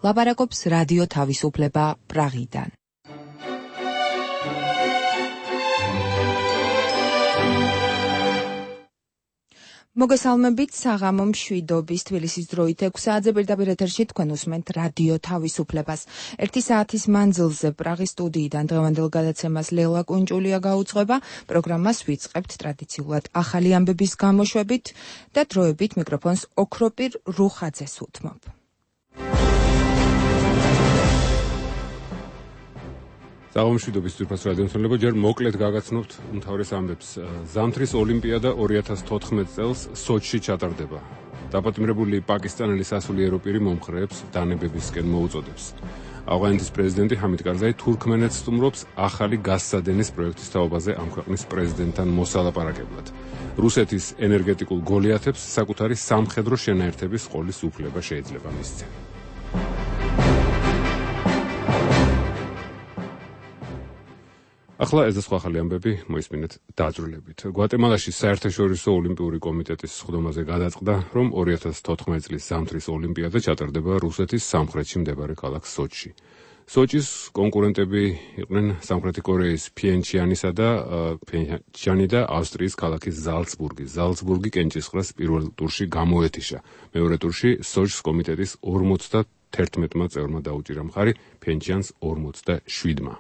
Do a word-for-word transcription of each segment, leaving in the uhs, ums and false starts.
ლაპარაკობს რადიო თავისუფლება პრაღიდან. მოგესალმებით საღამო მშვიდობის თბილისის დროით ექვსი საათზე პირდაპირ ეთერში თქვენ უსმენთ რადიო თავისუფლებას. ერთი საათის მანძილზე პრაღის სტუდიიდან დღევანდელ გადაცემას ლელა კუნჭულია გაუძღვება. პროგრამას ვიწყებთ ტრადიციულად ახალი ამბების გამოშვებით და დროებით მიკროფონს ოქროპირ რუხაძეს უთმობ. საღამო მშვიდობის ძვირფას რადიო მსმენელებო, ჯერ მოკლედ გაგაცნობთ უმთავრეს ამბებს. ზამთრის ოლიმპიადა ორი ათას თოთხმეტ წელს სოჩში ჩატარდება. დაპატიმრებული პაკისტანელი სასულიერო პირი მომხრეებს დანებებისკენ მოუწოდებს. ავღანეთის პრეზიდენტი ჰამიდ კარზაი თურქმენეთს სტუმრობს ახალი გაზსადენის პროექტის თაობაზე ამ ქვეყნის პრეზიდენტთან მოსალაპარაკებლად. რუსეთის ენერგეტიკულ გოლიათებს საკუთარი სამხედრო შენაერთების ყოლის უფლება შეიძლება მისცენ. ახლა ეს სხვა ახალი ამბები მოისმინეთ დაძრულებით. გვატემალაში საერთაშორისო ოლიმპიური კომიტეტის სხდომაზე გადაწყდა, რომ ორი ათას თოთხმეტ წლის ზამთრის ოლიმპიადა ჩატარდება რუსეთის სამხრეთში მდებარე ქალაქ სოჩში. სოჩის კონკურენტები იყვნენ სამხრეთი კორეის ფიენჩიანისა და ფიენჩიანი და ავსტრიის ქალაქი ზალცბურგი. ზალცბურგი კენჭისყრას პირველ ტურში გამოეთიშა. მეორე ტურში სოჩის კომიტეტის ორმოცდათერთმეტმა წევრმა დაუჭირა მხარი ფიენჩიანს ორმოცდაშვიდმა.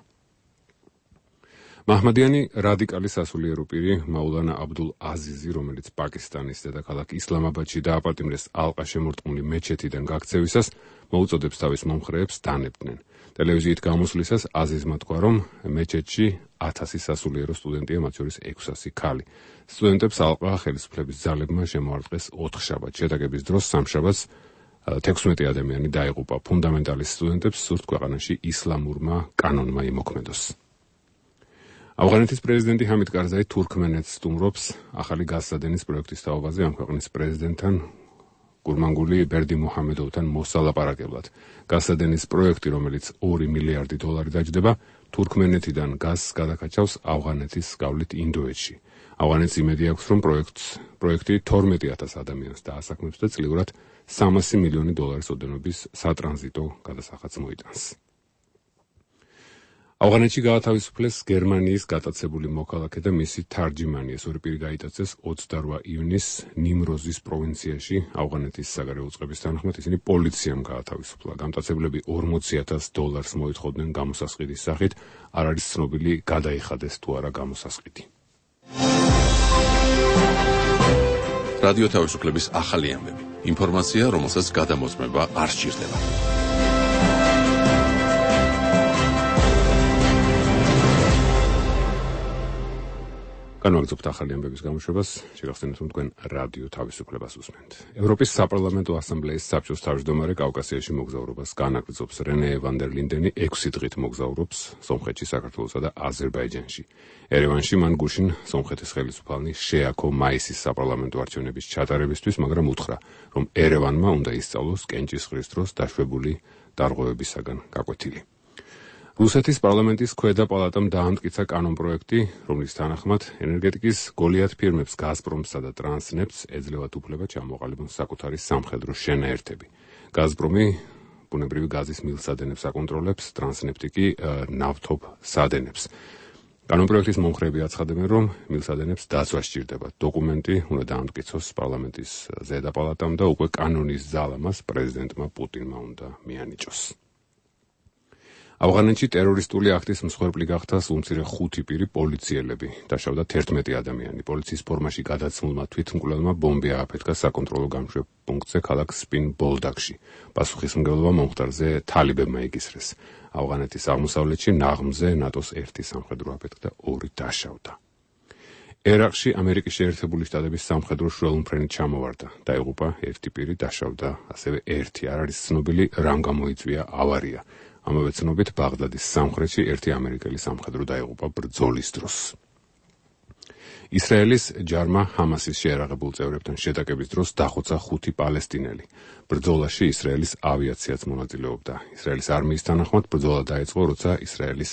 მაჰმადიანი რადიკალი სასულიერო პირი მაულანა აბდულ აზიზი, რომელიც პაკისტანის დედაქალაქ ისლამაბადში დააპატიმრეს ალყა შემორტყმული მეჩეთიდან გაქცევისას, მოუწოდებს თავის მომხრეებს დანებდნენ. ტელევიზიით გამოსვლისას აზიზმა თქვა, რომ მეჩეთში ათასი სასულიერო სტუდენტია, მათ შორის ექვსასი ქალი. სტუდენტებს ალყა ხელისუფლების ძალებმა შემოარტყეს ოთხშაბათს. შეტაკების დროს სამშაბათს თექვსმეტი ადამიანი დაიღუპა. ფუნდამენტალისტ სტუდენტებს სურთ ქვეყანაში ისლამურმა კანონმა იმოქმედოს. ავღანეთის პრეზიდენტი ჰამიდ კარზაი თურქმენეთს სტუმრობს ახალი გაზსადენის პროექტის თაობაზე ამ ქვეყნის პრეზიდენტთან გურმანგული ბერდი მუჰამედოვთან მოსალაპარაკებლად. გაზსადენის პროექტი, რომელიც ორი მილიარდი დოლარი დაჯდება, თურქმენეთიდან გაზს გადაკაჩავს ავღანეთის გავლით ინდოეთში. ავღანეთს იმედი აქვს, რომ პროექტს პროექტი თორმეტი ათას ადამიანს დაასაქმებს და წლიურად სამასი მილიონი დოლარის ოდენობის სატრანზიტო გადასახადს მოიტანს. ავღანეთში გაათავისუფლეს გერმანიის გატაცებული მოქალაქე და მისი თარჯიმანი. ეს ორი პირი გაიტაცეს ოცდარვა ივნის ნიმროზის პროვინციაში. ავღანეთის საგარეო უწყების თანახმად ისინი პოლიციამ გაათავისუფლა. გამტაცებლები ორმოცი ათას დოლარს მოითხოვდნენ გამოსასყიდის სახით. არ არის ცნობილი გადაიხადეს თუ არა გამოსასყიდი. რადიო თავისუფლების ახალი ამბები. ინფორმაცია, რომელსაც გადამოწმება არ სჭირდება. განვაგრძობთ ახალი ამბების გამოშვებას, შეგახსენებთ, რომ თქვენ რადიო თავისუფლებას უსმენთ. ევროპის საპარლამენტო ასამბლეის საბჭოს თავმჯდომარე კავკასიაში მოგზაურობას განაგრძობს. რენე ვან დერ ლინდენი ექვსი დღით მოგზაურობს სომხეთში, საქართველოსა და აზერბაიჯანში. ერევანში მან გუშინ სომხეთის ხელისუფალნი შეაქო მაისის საპარლამენტო არჩევნების ჩატარებისთვის, მაგრამ უთხრა, რომ ერევანმა უნდა ისწავლოს კენჭისყრის დროს დაშვებული დარღვევებისაგან გაკვეთილი. რუსეთის პარლამენტის ქვედა პალატამ დაამტკიცა კანონპროექტი, რომლის თანახმად ენერგეტიკის გოლიათ ფირმებს გაზპრომსა და ტრანსნეფტს ეძლევათ უფლება ჩამოყალიბონ საკუთარი სამხედრო შენაერთები. გაზპრომი ბუნებრივი გაზის მილსადენებს აკონტროლებს, ტრანსნეფტი კი ნავთობ სადენებს. კანონპროექტის მომხრეები აცხადებენ, რომ მილსადენებს დაცვა სჭირდებათ. დოკუმენტი უნდა დაამტკიცოს პარლამენტის ზედა პალატამ და უკვე კანონის ძალა მას პრეზიდენტმა პუტინმა უნდა მიანიჭოს. ავღანეთში ტერორისტული აქტის მსხვერპლი გახდა სულმცირე ხუთი პირი პოლიციელები. დაშავდა თერთმეტი ადამიანი. პოლიციის ფორმაში გადაცმულმა თვითმკვლელმა ბომბი ააფეთქა საკონტროლო გამშვებ პუნქტზე ქალაქ სპინ ბოლდაკში. პასუხისმგებლობა მომხდარზე თალიბებმა იკისრეს. ავღანეთის აღმოსავლეთში ნაღმზე ნატოს ერთი სამხედრო აფეთქდა, ორი დაშავდა. ერაყში ამერიკის შეერთებული შტატების სამხედრო შველმფრენი ჩამოვარდა. დაიღუპა ერთი პირი, დაშავდა ასევე ერთი. არ არის ცნობილი, რამ გამოიწვია ავარია. ამავე ცნობით ბაღდადის სამხრეთში ერთი ამერიკელი სამხედრო დაიღუპა ბრძოლის დროს. ისრაელის ჯარმა ჰამასის შეერაღებულ წევრებთან შეტაკების დროს დახოცა ხუთი პალესტინელი. ბრძოლაში ისრაელის ავიაციაც მონაწილეობდა. ისრაელის არმიის თანახმად ბრძოლა დაიწყო, როცა ისრაელის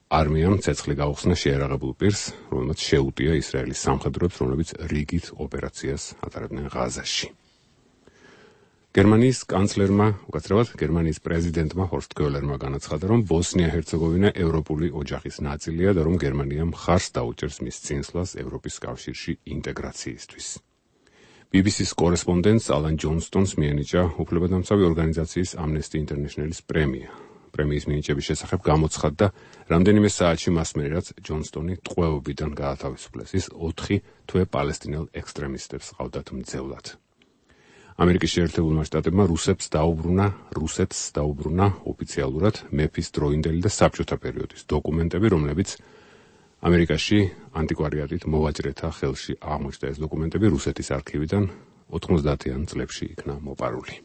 არმიამ ცეცხლი გაუხსნა შეერაღებულ პირს, რომელმაც შეუტია ისრაელის სამხედროებს, რომლებიც რიგით ოპერაციას ატარებდნენ ღაზაში. გერმანიის კანცლერმა, უკაცრავად გერმანიის პრეზიდენტმა ჰორსტ კოელერმა განაცხადა, რომ ბოსნია-ჰერცეგოვინა ევროპული ოჯახის ნაწილია და რომ გერმანია მხარს დაუჭერს მის წინსვლას ევროპის კავშირში ინტეგრაციისთვის. ბი ბი სის კორესპონდენტს ალან ჯონსტონს მიენიჭა უფლებადამცავი ორგანიზაციის Amnesty International-ის პრემია. პრემიის მინიჭების შესახებ გამოცხადდა რამდენიმე საათში მას მერე, რაც ჯონსტონი ტყვეობიდან გაათავისუფლეს. ის ოთხი თვე პალესტინელ ექსტრემისტებს ყავდათ მძევლად. ამერიკის შეერთებულმა შტატებმა რუსებს დაუბრუნა, რუსეთს დაუბრუნა ოფიციალურად მეფის დროინდელი და საბჭოთა პერიოდის დოკუმენტები, რომლებიც ამერიკაში ანტიკვარიატით მოვაჭრეთა ხელში აღმოჩნდა. ეს დოკუმენტები რუსეთის არქივიდან ოთხმოცდაათიან წლებში იქნა მოპარული.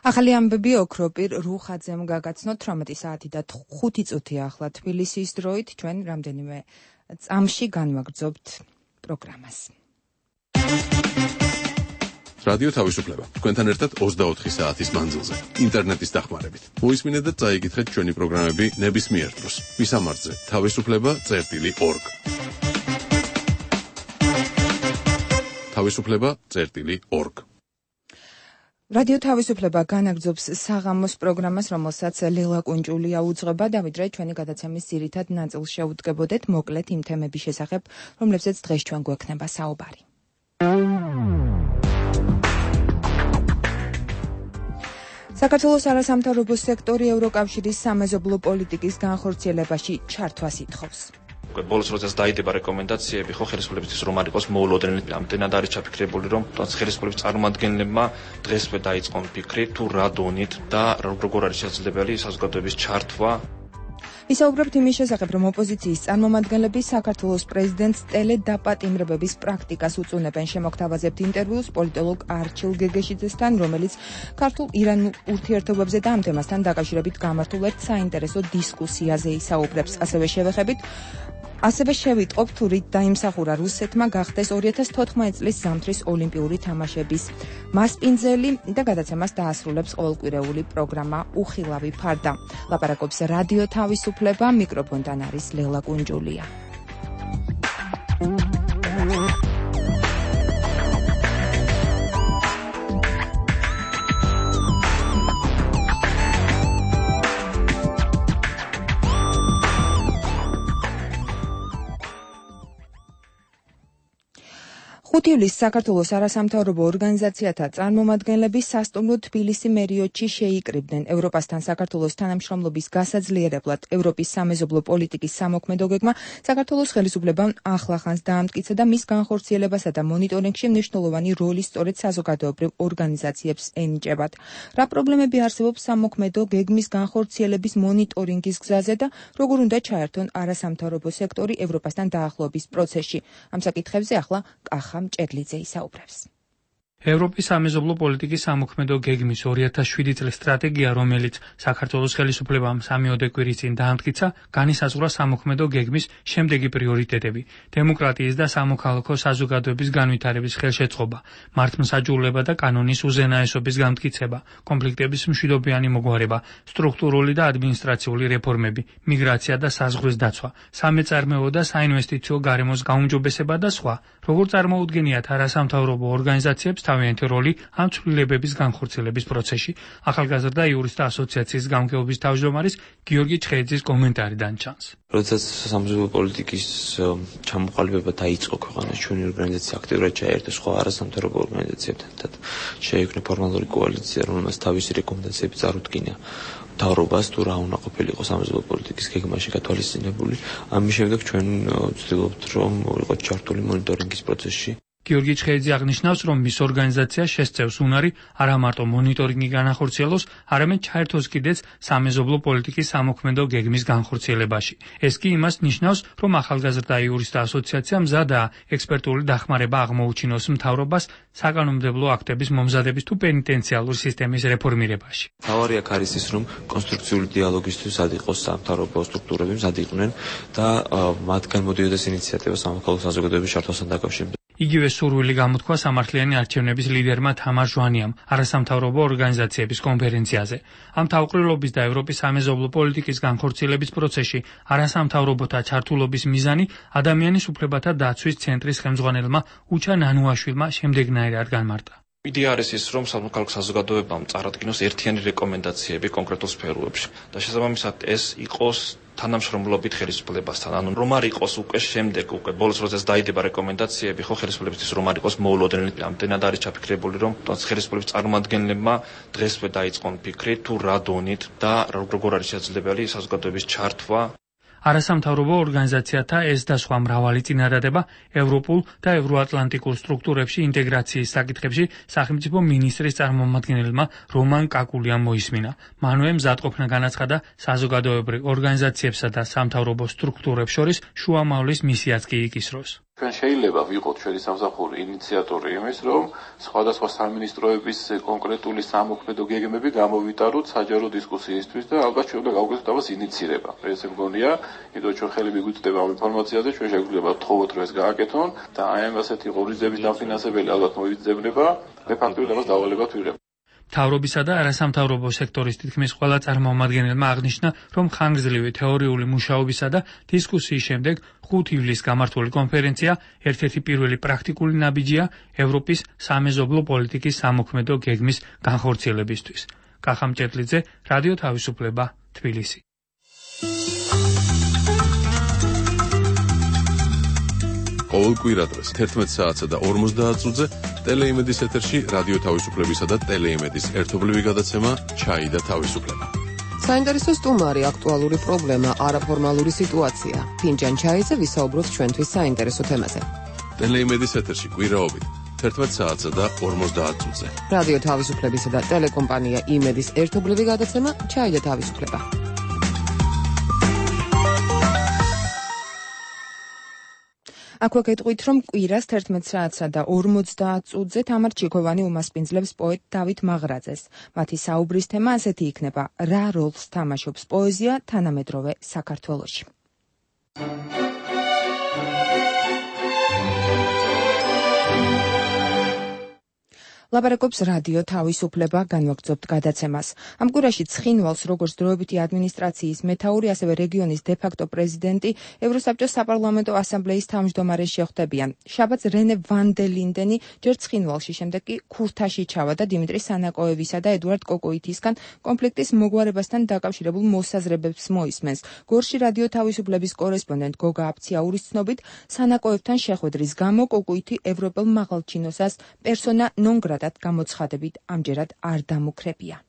ახალი ამბები ოქროპირ რუხაძემ გაგაცნოთ თვრამეტი საათი და ხუთი წუთი ახლა თბილისის დროით. ჩვენ რამდენიმე წამში განვაგრძობთ პროგრამას. რადიო თავისუფლება. თქვენთან ერთად ოცდაოთხი საათის მანძილზე. ინტერნეტის დახმარებით. მოისმინეთ და წაიგითხეთ ჩვენი პროგრამები ნებისმიერ დროს. მისამართზე თავისუფლება წერტილი ორგ. თავისუფლება წერტილი ორგ. რადიო თავისუფლება განაგრძობს საღამოს პროგრამას, რომელსაც ლელა კუნჭულია უძღვება. დავით რე, ჩვენი გადაცემის ძირითად ნაწილს შეუდგებოდეთ მოკლედ იმ თემების შესახებ, რომლებზეც დღეს ჩვენ გვექნება საუბარი. საქართველოს არასამთავრობო სექტორი ევროკავშირის სამეზობლო პოლიტიკის განხორციელებაში ჩართვას ითხოვს. ბოლოს როდესაც დაიდება რეკომენდაციები, ხო ხელისუფლებისთვის რომ არ იყოს მოულოდნელი, ამდენად არის ჩაფიქრებული, რომ ხელისუფლების წარმომადგენლებმა დღესვე დაიწყონ ფიქრი თუ რა დონით და როგორ არის შესაძლებელი საზოგადოების ჩართვა. ვისაუბრებთ იმის შესახებ, რომ ოპოზიციის წარმომადგენლები საქართველოს პრეზიდენტს ტელედაპატიმრებების პრაქტიკას უწუნებენ. შემოგთავაზებთ ინტერვიუს პოლიტოლოგ არჩილ გეგეშიძესთან, რომელიც ქართულ-ირანულ ურთიერთობებზე და ამ თემასთან დაკავშირებით გამართულ ერთ საინტერესო დისკუსიაზე ისაუბრებს. ასევე შევეხებით ასევე შევიტყობ თუ რით დაიმსახურა რუსეთმა გახდეს ორი ათას თოთხმეტი წლის ზამთრის ოლიმპიური თამაშების მასპინძელი და გადაცემას დაასრულებს ყოველკვირეული პროგრამა უხილავი ფარდა. ლაპარაკობს რადიო თავისუფლება, მიკროფონთან არის ლელა კუნჯულია. ხუთი ივლისს საქართველოს არასამთავრობო ორგანიზაციათა წარმომადგენლები სასტუმრო თბილისი მერიოტში შეიკრიბნენ. ევროპასთან საქართველოს თანამშრომლობის გასაძლიერებლად ევროპის სამეზობლო პოლიტიკის სამოქმედო გეგმა საქართველოს ხელისუფლებამ ახლახანს დაამტკიცა და მის განხორციელებასა და მონიტორინგში მნიშვნელოვანი როლი სწორედ საზოგადოებრივ ორგანიზაციებს ენიჭებათ. რა პრობლემები არსებობს სამოქმედო გეგმის განხორციელების მონიტორინგის გზაზე და როგორ უნდა ჩაერთონ არასამთავრობო სექტორი ევროპასთან დაახლოების პროცესში? ამ საკითხებზე ახლა კახა ჭედლიძე ისაუბრებს. ევროპის სამეზობლო პოლიტიკის სამოქმედო გეგმის ორი ათას შვიდი წლის სტრატეგია, რომელიც საქართველოს ხელისუფლებამ სამიოდე კვირის წინ დაამტკიცა, განისაზღვრა სამოქმედო გეგმის შემდეგი პრიორიტეტები: დემოკრატიის და სამოქალაქო საზოგადოების განვითარების ხელშეწყობა, მართლმსაჯულება და კანონის უზენაესობის გამტკიცება, კონფლიქტების მშვიდობიანი მოგვარება, სტრუქტურული და ადმინისტრაციული რეფორმები, მიგრაცია და საზღვრის დაცვა, სამეწარმეო და საინვესტიციო გარემოს გაუმჯობესება და სხვა. როგორ წარმოუდგენიათ არასამთავრობო ორგანიზაციებს თავიანთი როლი ამ ცვლილებების განხორციელების პროცესში? ახალგაზრდა იურისტთა ასოციაციის გამგეობის თავმჯდომარის გიორგი ჩხეიძის კომენტარიდან ჩანს. როდესაც სამეზობლო პოლიტიკის ჩამოყალიბება დაიწყო ქვეყანაში, ჩვენი ორგანიზაცია აქტიურად ჩაერთო სხვა არასამთავრობო ორგანიზაციებთან. შეიქმნა ფორმალური კოალიცია, რომელმაც თავისი რეკომენდაციები წარუდგინა მთავრობას თუ რა უნდა ყოფილიყო სამეზობლო პოლიტიკის გეგმაში გათვალისწინებული. ამის შემდეგ ჩვენ ვცდილობთ, რომ ვიყოთ ჩართული მონიტორინგის პროცესში. გიორგი ჩხეიძე აღნიშნავს, რომ მის ორგანიზაციას შესწევს უნარი არა მარტო მონიტორინგი განახორციელოს, არამედ ჩაერთოს კიდეც სამეზობლო პოლიტიკის სამოქმედო გეგმის განხორციელებაში. ეს კი იმას ნიშნავს, რომ ახალგაზრდა იურისტთა ასოციაცია მზადაა ექსპერტული დახმარება აღმოუჩინოს მთავრობას საკანონმდებლო აქტების მომზადების თუ პენიტენციალური სისტემის რეფორმირებაში. მთავარი აქ არის ის, რომ კონსტრუქციული დიალოგისთვის მზად იყოს სამთავრობო სტრუქტურები, მზად იყვნენ და მათგან მოდიოდეს ინიციატივა სამოქალაქო საზოგადოების ჩართვასთან დაკავშირებით. იგივე სურვილი გამოთქვა სამართლიანი არჩევნების ლიდერმა თამარ ჟვანიამ არასამთავრობო ორგანიზაციების კონფერენციაზე. ამ თავყრილობის და ევროპის სამეზობლო პოლიტიკის განხორციელების პროცესში არასამთავრობოთა ჩართულობის მიზანი ადამიანის უფლებათა დაცვის ცენტრის ხელმძღვანელმა უჩა ნანუაშვილმა შემდეგნაირად განმარტა. იდეა არის ის, რომ სამოქალაქო საზოგადოებამ წარადგინოს ერთიანი რეკომენდაციები კონკრეტულ სფეროებში და შესაბამისად ეს იყოს თანამშრომლობით ხელისუფლებასთან. ანუ რომ არ იყოს უკვე შემდეგ უკვე ბოლოს როდესაც დაიდება რეკომენდაციები, ხო ხელისუფლებისთვის რომ არ იყოს მოულოდნელი, ამდენად არის ჩაფიქრებული, რომ ხელისუფლების წარმომადგენლებმა დღესვე დაიწყონ ფიქრი თუ რა დონით და როგორ არის შესაძლებელი საზოგადოების ჩართვა. არასამთავრობო ორგანიზაციათა ეს და სხვა მრავალი წინადადება ევროპულ და ევროატლანტიკურ სტრუქტურებში ინტეგრაციის საკითხებში სახელმწიფო მინისტრის წარმომადგენელმა რომან კაკულიამ მოისმინა. მანვე მზადყოფნა განაცხადა საზოგადოებრივ ორგანიზაციებსა და სამთავრობო სტრუქტურებს შორის შუამავლის მისიაც კი იკისროს. ჩვენ შეიძლება ვიყოთ ჩვენი სამსახური ინიციატორი იმის, რომ სხვადასხვა სამინისტროების კონკრეტული სამოქმედო გეგმები გამოვიტაროთ საჯარო დისკუსიისთვის და ალბათ ჩვენ უნდა გავუკეთოთ ამას ინიცირება. ეს მგონია, იმიტომ ჩვენ ხელი მიგვიწვდება ამ ინფორმაციაზე, ჩვენ შეგვიძლია ვთხოვოთ, რომ ეს გააკეთონ და აი ამ ასეთი ღონისძიების დაფინანსებელი ალბათ მოიძებნება, მე ფაქტობრივად ამას დავალებად ვიღებ. მთავრობისა და არასამთავრობო სექტორის თითქმის ყველა წარმომადგენელმა აღნიშნა, რომ ხანგრძლივი თეორიული მუშაობისა და დისკუსიის შემდეგ ხუთი ივლისს გამართული კონფერენცია ერთ-ერთი პირველი პრაქტიკული ნაბიჯია ევროპის სამეზობლო პოლიტიკის სამოქმედო გეგმის განხორციელებისთვის. კახა მჭედლიძე, რადიო თავისუფლება, თბილისი. ყოველ კვირადღეს თერთმეტ საათსა და ორმოცდაათ წუთზე ტელეიმედის ეთერში რადიო თავისუფლებისა და ტელეიმედის ერთობლივი გადაცემა ჩაი და თავისუფლება. საინტერესო სტუმარი, აქტუალური პრობლემა, არაფორმალური სიტუაცია. ფინჯან ჩაიზე ვისაუბროთ ჩვენთვის საინტერესო თემაზე. ტელეიმედის ეთერში კვირაობით თერთმეტ საათსა და ორმოცდაათ წუთზე. რადიო თავისუფლებისა და ტელეკომპანია იმედის ერთობლივი გადაცემა ჩაი და თავისუფლება. აქვე გეტყვით, რომ კვირას თერთმეტ საათსა და ორმოცდაათ წუთზე თამარ ჩიქოვანი უმასპინძლებს პოეტ დავით მაღრაძეს. მათი საუბრის თემა ასეთი იქნება: რა როლს თამაშობს პოეზია თანამედროვე საქართველოში? ლაპარაკობს რადიო თავისუფლება, განვაგრძობთ გადაცემას. ამ კვირაში ცხინვალს, როგორც დროებითი ადმინისტრაციის მეთაური, ასევე რეგიონის დე-ფაქტო პრეზიდენტი, ევროსაბჭოს საპარლამენტო ასამბლეის თავმჯდომარე შეხვდებიან. შაბათს რენე ვან დე ლინდენი ჯერ ცხინვალში, შემდეგ კი ქურთაში ჩავა და დიმიტრი სანაკოევისა და ედუარდ კოკოითისგან კონფლიქტის მოგვარებასთან დაკავშირებულ მოსაზრებებს მოისმენს. გორში რადიო თავისუფლების კორესპონდენტ გოგა აფციაურის ცნობით, სანაკოევთან შეხვედრის გამო კოკოითი ევროპელ მაღალჩინოსას პერსონა ნონ გრატა გამოცხადებით ამჯერად არ დამუქრებია.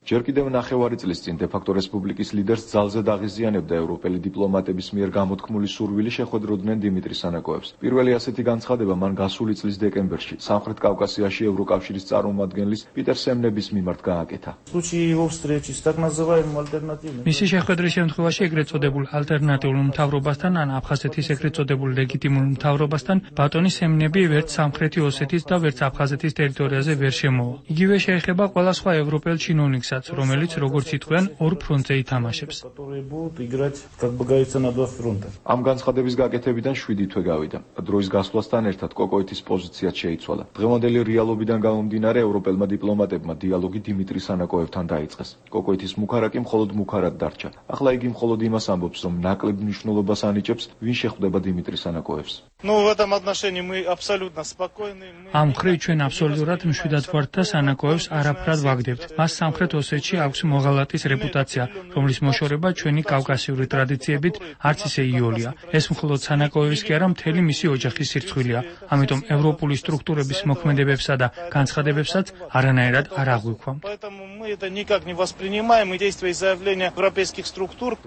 ჯერ კიდევ ნახევარი წლის წინ დე-ფაქტო რესპუბლიკის ლიდერს ძალზე დაღიზიანებდა ევროპელი დიპლომატების მიერ გამოთქმული სურვილი შეხვედროდნენ დიმიტრი სანაკოევს. პირველი ასეთი განცხადება მან გასული წლის დეკემბერში სამხრეთ კავკასიაში ევროკავშირის წარმომადგენლის პიტერ სემნების მიმართ გააკეთა. მისი შეხვედრის შემთხვევაში ეგრეთ წოდებულ ალტერნატიულ მთავრობასთან ან აფხაზეთის ეგრეთ წოდებულ ლეგიტიმურ მთავრობასთან ბატონი სემნები ვერც სამხრეთი ოსეთის და ვერც აფხაზეთის ტერიტორიაზე ვერ შემოვა. იგივე შეეხება ყველა სხვა ევროპელ ჩინოვნიკს, რომელიც როგორც ითქვიან ორ ფრონტზე ითამაშებს. ამ განცხადების გაკეთებიდან შვიდი თვე გავიდა. დროის გასვლასთან ერთად კოკოითის პოზიციაც შეიცვალა. დღევანდელი რეალობიდან გამომდინარე ევროპელმა დიპლომატებმა დიალოგი დიმიტრი სანაკოევთან დაიწყეს. კოკოითის მუქარა კი მხოლოდ მუქარად დარჩა. ახლა იგი მხოლოდ იმას ამბობს, რომ ნაკლებ მნიშვნელობას ანიჭებს, ვინ შეხვდება დიმიტრი სანაკოევს. ამ მხრივ ჩვენ აბსოლუტურად მშვიდად ვართ და სანაკოევს არაფრად ვაგდებთ. მას სამხრეთ ოსეთში აქვს მოღალატის რეპუტაცია, რომლის მოშორება ჩვენი კავკასიური ტრადიციებით არც ისე იოლია. ეს მხოლოდ სანაკოევის კი არა, მთელი მისი ოჯახის სირცხვილია. ამიტომ ევროპული სტრუქტურების მოქმედებებსა და განცხადებებსაც არანაირად არ აღვიქვამთ.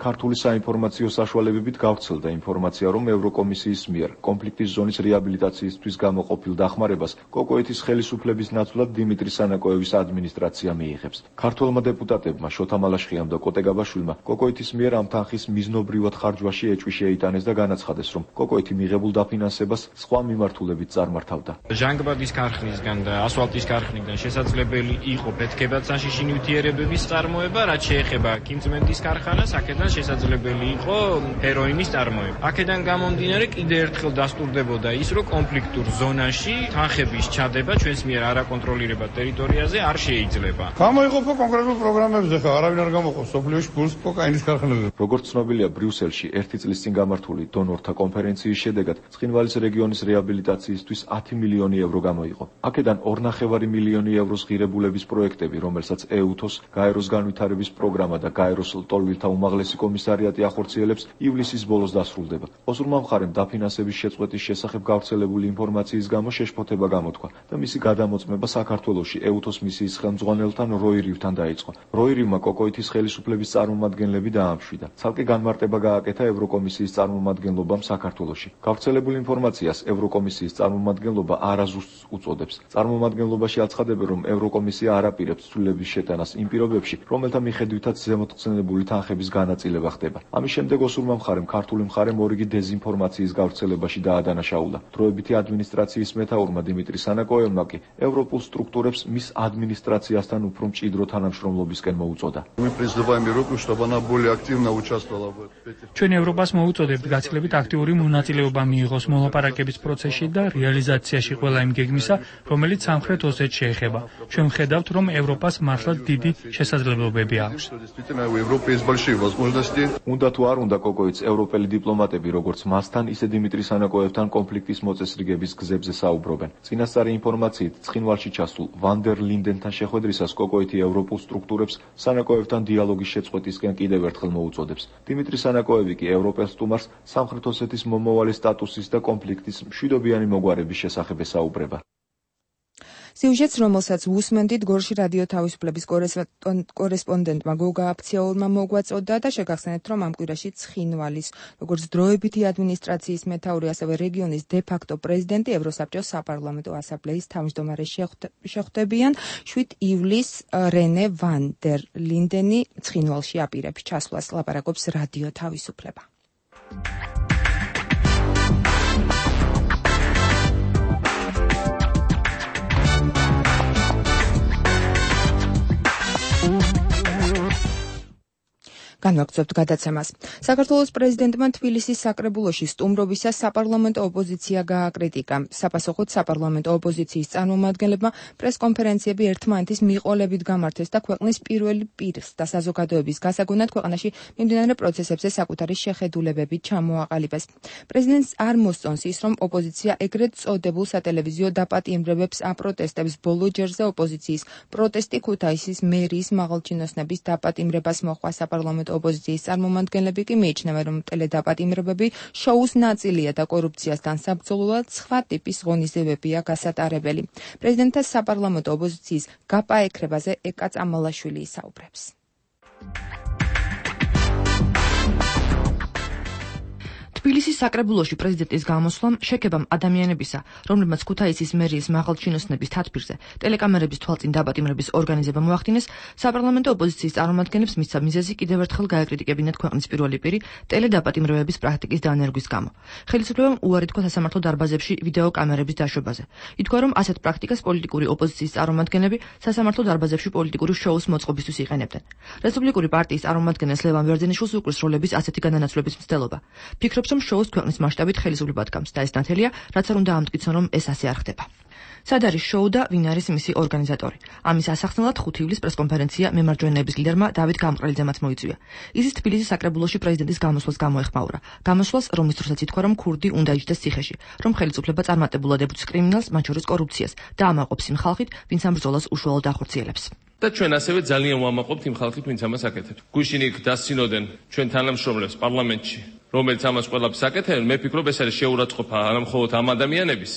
ქართული საინფორმაციო საშუალებებით გავრცელდა ინფორმაცია, რომ ევროკომისიის მიერ კონფლიქტის ზონის რეაბილიტაციისთვის გამოყოფილ დახმარებას კოკოითის ხელისუფლების ნაცვლად დიმიტრი სანაკოევის ადმინისტრაცია მიიღებს. ქართველმა დეპუტატებმა შოთა მალაშხიამ და კოტე გაბაშვილმა კოკოითის მიერ ამ თანხის მიზნობრივად ხარჯვაში ეჭვი შეიტანეს და განაცხადეს, რომ კოკოითი მიღებულ დაფინანსებას სხვა მიმართულებით წარმართავდა. ჟანგბადის ქარხნისგან და ასფალტის ქარხნიდან შესაძლებელი იყო ფეთქებად საშიში ნივთიერებების წარმოება, რაც შეეხება კინწმენდის ქარხანას, აქედან შესაძლებელი იყო ჰეროინის წარმოება. აქედან გამომდინარე კიდევ ერთხელ დასტურდებოდა ის, რომ კონფლიქტურ ზონაში თანხების ჩადება ჩვენს მიერ არაკონტროლირებად ტერიტორიაზე არ შეიძლება. გამოიყოფა კონკრეტულ პროგრამებზე, ხა არავინ არ გამოყოფს სოფლიოში გულს კოკაინის ქარხანაზე. როგორც ცნობილია, ბრიუსელში ერთი წლის წინ გამართული დონორთა კონფერენციის შედეგად ცხინვალის რეგიონის რეაბილიტაციისთვის ათი მილიონი ევრო გამოიყო. აქედან ორნახევარი მილიონი ევროს ღირებულების პროექტები, რომელსაც ეუთოს, გაეროს განვითარების პროგრამა და გაეროს ლტოლვილთა უმაღლესი კომისარიატი ახორციელებს, ივლისის ბოლოს დასრულდება. ოზურმა მხარემ დაფინანსების შეწყვეტის შესახებ გავრცელებული ინფორმაციის გამო შეშფოთება გამოთქვა და მისი გადამოწმება საქართველოში ეუთოს მისიის ხელმძღვანელთან როირივთან დაიწყო. როირივმა კოკოითის ხელისუფლების წარმომადგენლები დაამშვიდა. ცალკე განმარტება გააკეთა ევროკომისიის წარმომადგენლობამ საქართველოში. გავრცელებულ ინფორმაციას ევროკომისიის წარმომადგენლობა არაზუსტს უწოდებს. წარმომადგენლობაში აცხადებენ, რომ ევროკომისია არ აპირებს ცვლილების შეტანას იმ პირობებში, რომელთა მიხედვითაც ზემოთხსენებული თანხების განაწილება ხდება. ამის შემდეგ ოსურმა მხარემ ქართული მხარემ ორიგი დეზინფორმაციის გავრცელებაში დაადანაშაულა. დროებითი ადმინისტრაციის მეთაურმა დიმიტრი სანაკოევმა კი ევროპულ სტრუქტურებს მის ადმინისტრაციასთან უფრო მჭიდრო თანამშრომლობისკენ მოუწოდა. ჩვენ ევროპას მოუწოდებთ გაცილებით აქტიური მონაწილეობა მიიღოს მოლაპარაკების პროცესში და რეალიზაციაში ყველა იმ გეგმისა, რომელიც სამხრეთ ოსეთს შეეხება. ჩვენ ვხედავთ, რომ ევროპას მართლაც დიდი შესაძლებლობები აქვს. უნდა თუ არ უნდა კოკოიც ევროპელი დიპლომატები, როგორც მასთან, ისე დიმიტრი სანაკოევთან კონფლიქტის მოწესრიგების გზებზე საუბრობენ. წინასწარი ინფორმაციით, ცხინვალში ჩასულ ვანდერ ლინდენთან შეხვედრისას კოკოითი ევროპულ სტრუქტურებს სანაკოევთან დიალოგის შეწყვეტისკენ კიდევ ერთხელ მოუწოდებს. დიმიტრი სანაკოევი კი ევროპელ სტუმარს სამხრეთ ოსეთის მომავალი სტატუსის და კონფლიქტის მშვიდობიანი მოგვარების შესახებ ესაუბრება. სიუჟეტს, რომელსაც უსმენდით, გორში რადიო თავისუფლების კორესპონდენტმა გოგა აფციაურმა მოგვაწოდა და შეგახსენეთ, რომ ამ კვირაში ცხინვალის, როგორც დროებითი ადმინისტრაციის მეთაური, ასევე რეგიონის დე-ფაქტო პრეზიდენტი ევროსაბჭოს საპარლამენტო ასამბლეის თავმჯდომარე შეხვდებიან. შვიდ ივლისს რენე ვან დერ ლინდენი ცხინვალში აპირებს ჩასვლას, ლაპარაკობს რადიო თავისუფლება. განვაგრძობთ გადაცემას. საქართველოს პრეზიდენტმა თბილისის საკრებულოში სტუმრობისას საპარლამენტო ოპოზიცია გააკრიტიკა. საპასუხოდ საპარლამენტო ოპოზიციის წარმომადგენლებმა პრესკონფერენციები ერთმანეთის მიყოლებით გამართეს და ქვეყნის პირველი პირს და საზოგადოების გასაგონად ქვეყანაში მიმდინარე პროცესებზე საკუთარი შეხედულებები ჩამოაყალიბეს. პრეზიდენტს არ მოსწონს ის, რომ ოპოზიცია ეგრეთ წოდებულ სატელევიზიო დაპატიმრებებს აპროტესტებს. ბოლო ჯერზე ოპოზიციის პროტესტი ქუთაისის მერიის მაღალჩინოსნების დაპატიმრებას მოჰყვა. საპარლამენტო ოპოზიციის წარმომადგენლები კი მიიჩნევენ, რომ ტელედაპატიმრებები შოუს ნაწილია და კორუფციასთან საბრძოლველად სხვა ტიპის ღონისძიებებია გასატარებელი. პრეზიდენტთა საპარლამენტო ოპოზიციის გაპაექრებაზე ეკა წამალაშვილი ისაუბრებს. თბილისის საკრებულოში პრეზიდენტის გამოსვლამ შექებამ ადამიანებისა, რომლებმაც ქუთაისის მერიის მაღალჩინოსნების თათბირზე ტელეკამერების თვალწინ დაპატიმრების ორგანიზება მოახდინეს, საპარლამენტო ოპოზიციის წარმომადგენლებს მისცა მიზეზი კიდევ ერთხელ გაეკრიტიკებინათ ქვეყნის პირველი პირი ტელედაპატიმრებების პრაქტიკის დანერგვის გამო. ხელისუფლებამ უარი თქვა სასამართლო დარბაზებში ვიდეო კამერების დაშვებაზე. ითქვა, რომ ასეთ პრაქტიკას პოლიტიკური ოპოზიციის წარმომადგენლები სასამართლო დარბაზებში პოლიტიკური შოუს მოწყობისთვის იყენებდნენ. რესპუბლიკური პარტიის წარმომადგენელს ლევან ვერძენიშვილს უკრის როლების ასეთი განანაცვლების მცდელობა. ფიქრობს, რომ შოუს ქვეყნის მასშტაბით ხელისუფლება დგამს და ეს ნათელია, რაც არ უნდა ამტკიცონ, რომ ეს ასე არ ხდება. სად არის შოუ და ვინ არის მისი ორგანიზატორი? ამის ასახსნელად ხუთი ივლის პრესკონფერენცია მემარჯვენეების ლიდერმა დავით გამყრელიძემაც მოიწვია. ისიც თბილისის საკრებულოში პრეზიდენტის გამოსვლას გამოეხმაურა. გამოსვლას, რომლის დროსაც ითქვა, რომ ქურდი უნდა იჯდეს ციხეში, რომ ხელისუფლება წარმატებულად ებრძვის კრიმინალს, მათ შორის კორუფციას და ამაყობს იმ ხალხით, ვინც ამ ბრძოლას უშუალოდ ახორციელებს. და ჩვენ ასევე ძალიან ვამაყობთ იმ ხალხით, ვინც ამას აკეთებს. გუშინ იქ დასცინოდნენ ჩვენ თანამშრომლებს პარლამენტში, რომელიც ამას ყველაფერს აკეთებენ. მე ვფიქრობ, ეს არის შეურაცხყოფა არა მხოლოდ ამ ადამიანების,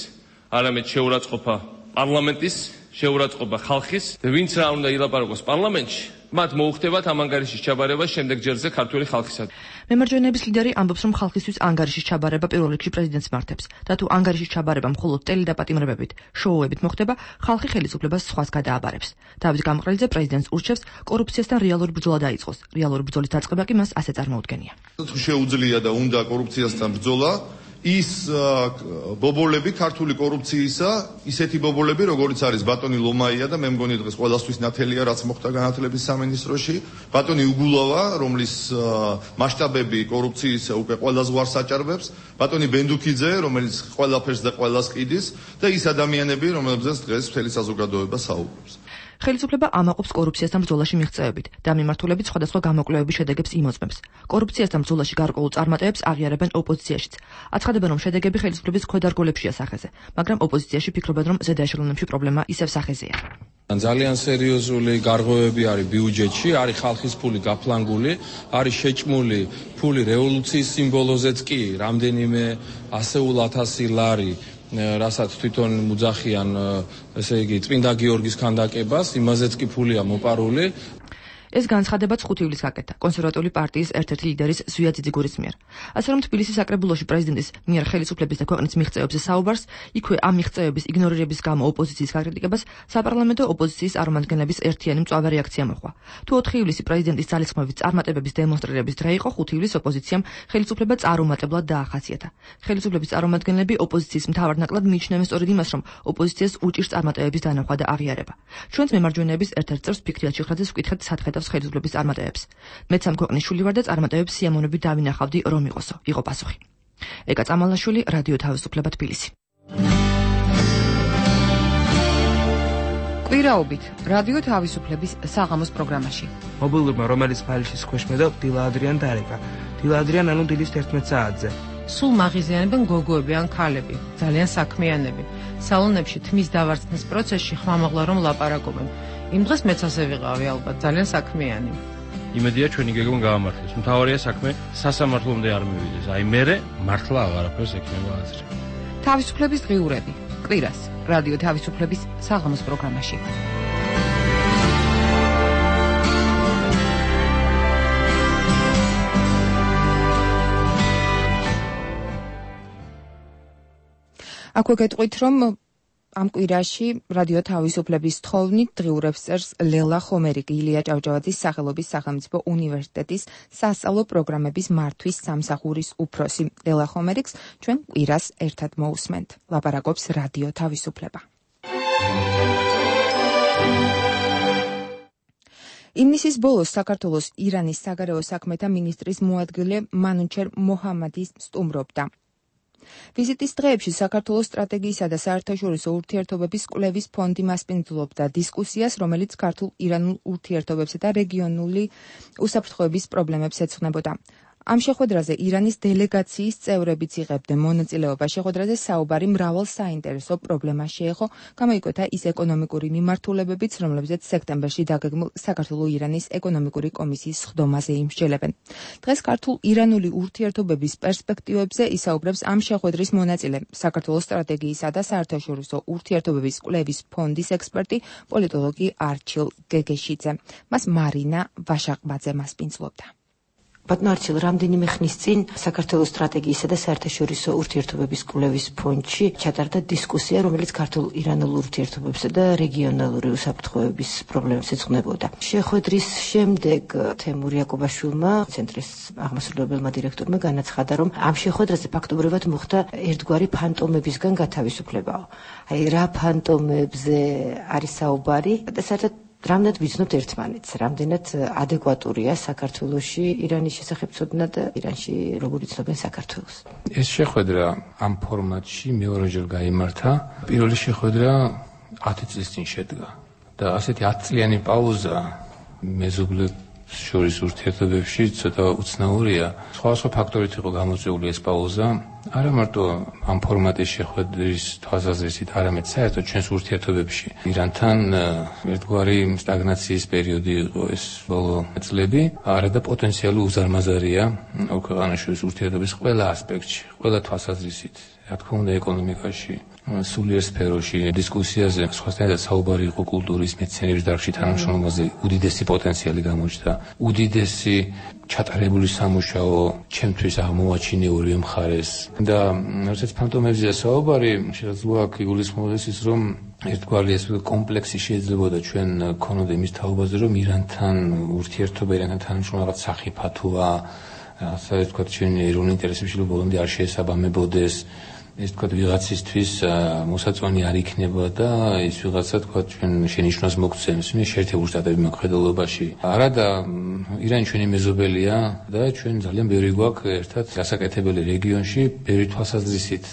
არამედ შეურაცხყოფა პარლამენტის, შეურაცხყოფა ხალხის და ვინც რა უნდა ილაპარაკოს პარლამენტში, მათ მოუხდებათ ამ ანგარიშის ჩაბარება შემდეგ ჯერზე ქართული ხალხისა. მემარჯვენეების ლიდერი ამბობს, რომ ხალხისთვის ანგარიშის ჩაბარება პირველ რიგში პრეზიდენტს მართებს და თუ ანგარიშის ჩაბარება მხოლოდ ტელედაპატიმრებებით, შოუებით მოხდება, ხალხი ხელისუფლებას სხვას გადააბარებს. დავით გამყრელიძე პრეზიდენტს ურჩევს კორუფციასთან რეალური ბრძოლა დაიწყოს. რეალური ბრძოლის დაწყება კი მას ასე წარმოუდგენია. თუ შეუძლია და უნდა კორუფციასთან ბრძოლა, ის ბობოლები ქართული კორუფციისა, ისეთი ბობოლები, როგორიც არის ბატონი ლომაია და მე მგონი დღეს ყველასთვის ნათელია, რაც მოხდა განათლების სამინისტროში, ბატონი უგულავა, რომლის მასშტაბები კორუფციის უკვე ყველა ზღვარს აჭარბებს, ბატონი ბენდუქიძე, რომელიც ყველაფერს და ყველას ყიდის და ის ადამიანები, რომლებზეც დღეს მთელი საზოგადოება საუბრობს. ხელისუფლება ამაყობს კორუფციასთან ბრძოლაში მიღწევებით და მიმართულებით სხვადასხვა გამოკვლევების შედეგებს იმოწმებს. კორუფციასთან ბრძოლაში გარკვეულ წარმატებებს აღიარებენ ოპოზიციაშიც. აცხადებენ, რომ შედეგები ხელისუფლების ქვედარგოლებშია სახეზე, მაგრამ ოპოზიციაში ფიქრობენ, რომ ზედა ეშელონებში პრობლემა ისევ სახეზეა. ძალიან სერიოზული გარღვევები არის ბიუჯეტში, არის ხალხის ფული გაფლანგული, არის შეჭმული ფული რევოლუციის სიმბოლოზეც კი, რამდენიმე ასეულ ათასი ლარი რასაც თვითონ მუძახიან, ესე იგი, წმინდა გიორგის ქანდაკებას, იმაზეც კი ფულია მოპარული. ეს განცხადებაც ხუთი ივლისს გაკეთა კონსერვატიული პარტიის ერთ-ერთი ლიდერის ზვია ძიძიგურის მიერ. ასე რომ თბილისის საკრებულოში პრეზიდენტის მიერ ხელისუფლების და ქვეყნის მიღწევებზე საუბარს, იქვე ამ მიღწევების იგნორირების გამო ოპოზიციის გაკრიტიკებას საპარლამენტო ოპოზიციის წარმომადგენლების ერთიანი მწვავე რეაქცია მოჰყვა. თუ ოთხი ივლისი პრეზიდენტის ძალისხმევით წარმატებების დემონსტრირების დღე იყო, ხუთი ივლისს ოპოზიციამ ხელისუფლება წარუმატებლად დაახასიათა. ხელისუფლების წარმომადგენლები ოპოზიციის მთავარ ნაკლად მიიჩნევენ სწორედ იმას, რომ ოპოზიციას უჭირს წარმატებების დანახვა და აღიარება. ჩვენც მემარჯვენეების ერთ-ერთ წევრს ფიქრიათ შეხრაძეს ვკითხეთ სათხე ხელისუფლების წარმატებებს. მეც ამ ქვეყნის შული ვარ და წარმატებებს სიამოვნებით დავინახავდი, რომ იყოსო. იყო პასუხი. ეკა წამალაშვილი, რადიო თავისუფლება თბილისი. კვირაობით რადიო თავისუფლების საღამოს პროგრამაში. მობილურმა, რომელიც ფაილშიც ქვეშმედა, დილა ადრიან დარეკა. დილა ადრიან ანუ დილის თერთმეტ საათზე. სულ მაღიზიანებენ გოგოები ან ქალები, ძალიან საქმიანები. სალონებში თმის დავარცხნის პროცესში ხმამაღლა რომ ლაპარაკობენ. იმ დღეს მეც ასე ვიყავი ალბათ, ძალიან საქმიანი. იმედია ჩვენი გეგმა გაამართლეს. მთავარია საქმე სასამართლომდე არ მივიდეს. აი მერე მართლა აღარაფერს ექნება აზრი. თავისუფლების დღიურები. კვირას რადიო თავისუფლების საღამოს პროგრამაში. აქვე გეტყვით, რომ ამ კვირაში რადიო თავისუფლების თხოვნით დღიურებს წერს ლელა ხომერიკი, ილია ჭავჭავაძის სახელობის სახელმწიფო უნივერსიტეტის სასწავლო პროგრამების მართვის სამსახურის უფროსი. ლელა ხომერიკს ჩვენ კვირას ერთად მოусმენთ. ლაპარაკობს რადიო თავისუფლება. ივნისის ბოლოს საქართველოს ირანის საგარეო საქმეთა მინისტრის მოადგილე მანუჩერ მოჰამადი სტუმრობდა. ვიზიტის დღეებში საქართველოს სტრატეგიისა და საერთაშორისო ურთიერთობების კვლევის ფონდი მასპინძლობდა დისკუსიას, რომელიც ქართულ-ირანულ ურთიერთობებსა და რეგიონული უსაფრთხოების პრობლემებს ეძღვნებოდა. ამ შეხვედრაზე ირანის დელეგაციის წევრებიც იღებდნენ მონაწილეობა. შეხვედრაზე საუბარი მრავალ საინტერესო პრობლემას შეეხო, გამოიკვეთა ის ეკონომიკური მიმართულებებიც, რომლებზეც სექტემბერში დაგეგმილ საქართველო-ირანის ეკონომიკური კომისიის სხდომაზე იმსჯელებენ. დღეს ქართულ-ირანული ურთიერთობების პერსპექტივებზე ისაუბრებს ამ შეხვედრის მონაწილე, საქართველოს სტრატეგიისა და საერთაშორისო ურთიერთობების კვლევის ფონდის ექსპერტი, პოლიტოლოგი არჩილ გეგეშიძე. მას მარინა ვაშაყბაძე მასპინძლობდა. ბატონო არჩილ, რამდენიმე ხნის წინ საქართველოს სტრატეგიისა და საერთაშორისო ურთიერთობების კვლევის ფონდში ჩატარდა დისკუსია, რომელიც ქართულ-ირანულ ურთიერთობებსა და რეგიონალური უსაფრთხოების პრობლემებს ეძღვნებოდა. შეხვედრის შემდეგ თემურ იაკობაშვილმა, ცენტრის აღმასრულებელმა დირექტორმა განაცხადა, რომ ამ შეხვედრაზე ფაქტობრივად მოხდა ერთგვარი ფანტომებისგან გათავისუფლებაო. აი რა ფანტომებზე არის საუბარი და საერთოდ რამდენად ვიცნობთ ერთმანეთს, რამდენად ადეკვატურია საქართველოში ირანის შესახებ ცოდნა და ირანში როგორ იცნობენ საქართველოს. ეს შეხვედრა ამ ფორმატში მეორეჯერ გაიმართა. პირველი შეხვედრა ათი წლის წინ შედგა და ასეთი ათწლიანი პაუზა მეზობლებს შორის ურთიერთობებში ცოტა უცნაურია. სხვადასხვა ფაქტორით იყო გამოწვეული ეს პაუზა. არა მარტო ამ ფორმატის შეხვედრის თვალსაზრისით, არამედ საერთოდ ჩვენს ურთიერთობებში ირანთან ერთგვარი სტაგნაციის პერიოდი იყო ეს ბოლო წლები. არა და პოტენციალი უზარმაზარია ქვეყანაშორის ურთიერთობის ყველა ასპექტში, ყველა თვალსაზრისით. რა თქმა უნდა, ეკონომიკაში, სულიერ სფეროში, დისკუსიაზე, სხვასთან საუბარი იყო კულტურის, მეცნიერების დარგში თანამშრომლობაზე, უდიდესი პოტენციალი გამოჩნდა. უდიდესი ჩატარებული სამუშაო ჩემთვის აღმოვაჩინე ორივე მხარეს. და როდესაც ფანტომებზეა საუბარი, შეიძლება აქ იგულისხმებოდეს ის, რომ ერთგვარი ეს კომპლექსი შეიძლებოდა ჩვენ ქონოდა იმის თაობაზე, რომ ირანთან ურთიერთობა, ირანთან თანამშრომლობა რაღაც სახიფათოა, ასე ვთქვათ, ჩვენი ეროვნული ინტერესებში ბოლომდე არ შეესაბამებოდეს. ეს თქვა ვიღაცისთვის მოსაწონი არ იქნება და ის ვიღაცა თქვა ჩვენ შენიშვნას მოგცემს მე შეერთებული შტატების მოქმედებაში. არადა ირანი ჩვენი მეზობელია და ჩვენ ძალიან ბევრი გვაქვს ერთად გასაკეთებელი რეგიონში, ბევრი თვალსაზრისით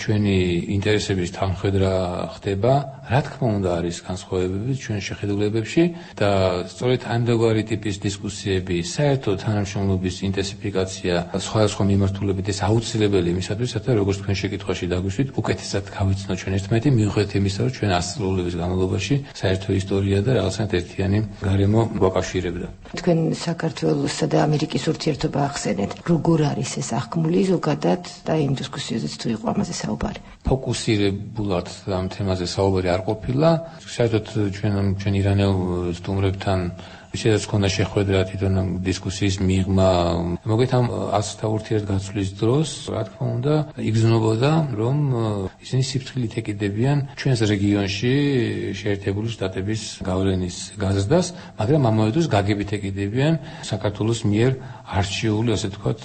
ჩვენი ინტერესების თანხმდრა ხდება. რა თქმა უნდა არის განსხვავებები ჩვენ შეხედულებებში და სწორედ ამდენგვარი ტიპის დისკუსიები, საერთოდ თანამშრომლობის ინტენსიფიკაცია სხვადასხვა მიმართულებით ეს აუცილებელი იმისათვის, როგორც თქვენ შეკითხვაში დაგვისვით, უკეთესად გავიცნოთ ჩვენ ერთმანეთი, მიუხედავად იმისა, რომ ჩვენ ასწლეულების განმავლობაში საერთო ისტორია და რაღაცნაირად ერთიანი გარემო გვაკავშირებდა. თქვენ საქართველოსა და ამერიკის ურთიერთობა ახსენეთ. როგორ არის ეს აღქმული ზოგადად და იმ დისკუსიაზეც თუ იყო ამაზე საუბარი? ფოკუსირებულად ამ თემაზე საუბარი არ ყოფილა. საერთოდ ჩვენ ჩვენ ირანელ სტუმრებთან შეიძლება ქონდა შეხვედრა თვითონ დისკუსიის მიღმა. მოგეთ ამ ასთა ურთიერთგაცვლის დროს, რა თქმა უნდა, იგრძნობოდა, რომ ისინი სიფრთხილით ეკიდებიან ჩვენს რეგიონში შეერთებული შტატების გავლენის გაზრდას, მაგრამ ამავე დროს გაგებით ეკიდებიან საქართველოს მიერ არჩეული, ასე ვთქვათ,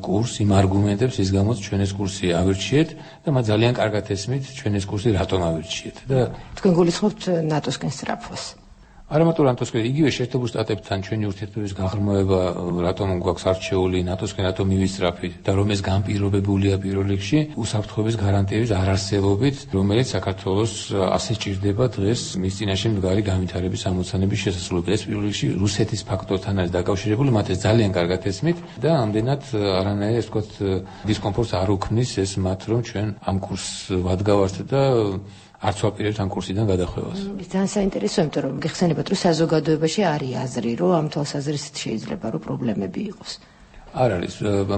კურს, იმ არგუმენტებს, ის გამოც ჩვენ ეს კურსი ავირჩიეთ და მათ ძალიან კარგად ესმით ჩვენ ეს კურსი რატომ ავირჩიეთ და თქვენ გულისხმობთ ნატოსკენ სწრაფვას. არამატურ ანტოსკენ იგივე შეერთებულ შტატებთან ჩვენი ურთიერთობის გაღრმავება რატომ გვაქვს არჩეული ნატოსკენ რატომ მივისწრაფით და რომ ეს განპირობებულია პირველ რიგში უსაფრთხოების გარანტიების არარსებობით, რომელიც საქართველოს ასე ჭირდება დღეს მის წინაშე მდგარი განვითარების ამოცანების შესაძლებლობით. ეს პირველ რიგში რუსეთის ფაქტორთან არის დაკავშირებული, მათ ეს ძალიან კარგად ესმით და ამდენად არანაირ ეს ვთქვათ დისკომფორტს არ უქმნის ეს მათ, რომ ჩვენ ამ კურსს ვადგავართ და არც ვაპირებთ ამ კურსიდან გადახვევას. ძალიან საინტერესოა, იმიტომ რომ გეხსენებათ, რომ საზოგადოებაში არის აზრი, რომ ამ თვალსაზრისით შეიძლება რომ პრობლემები იყოს. არ არის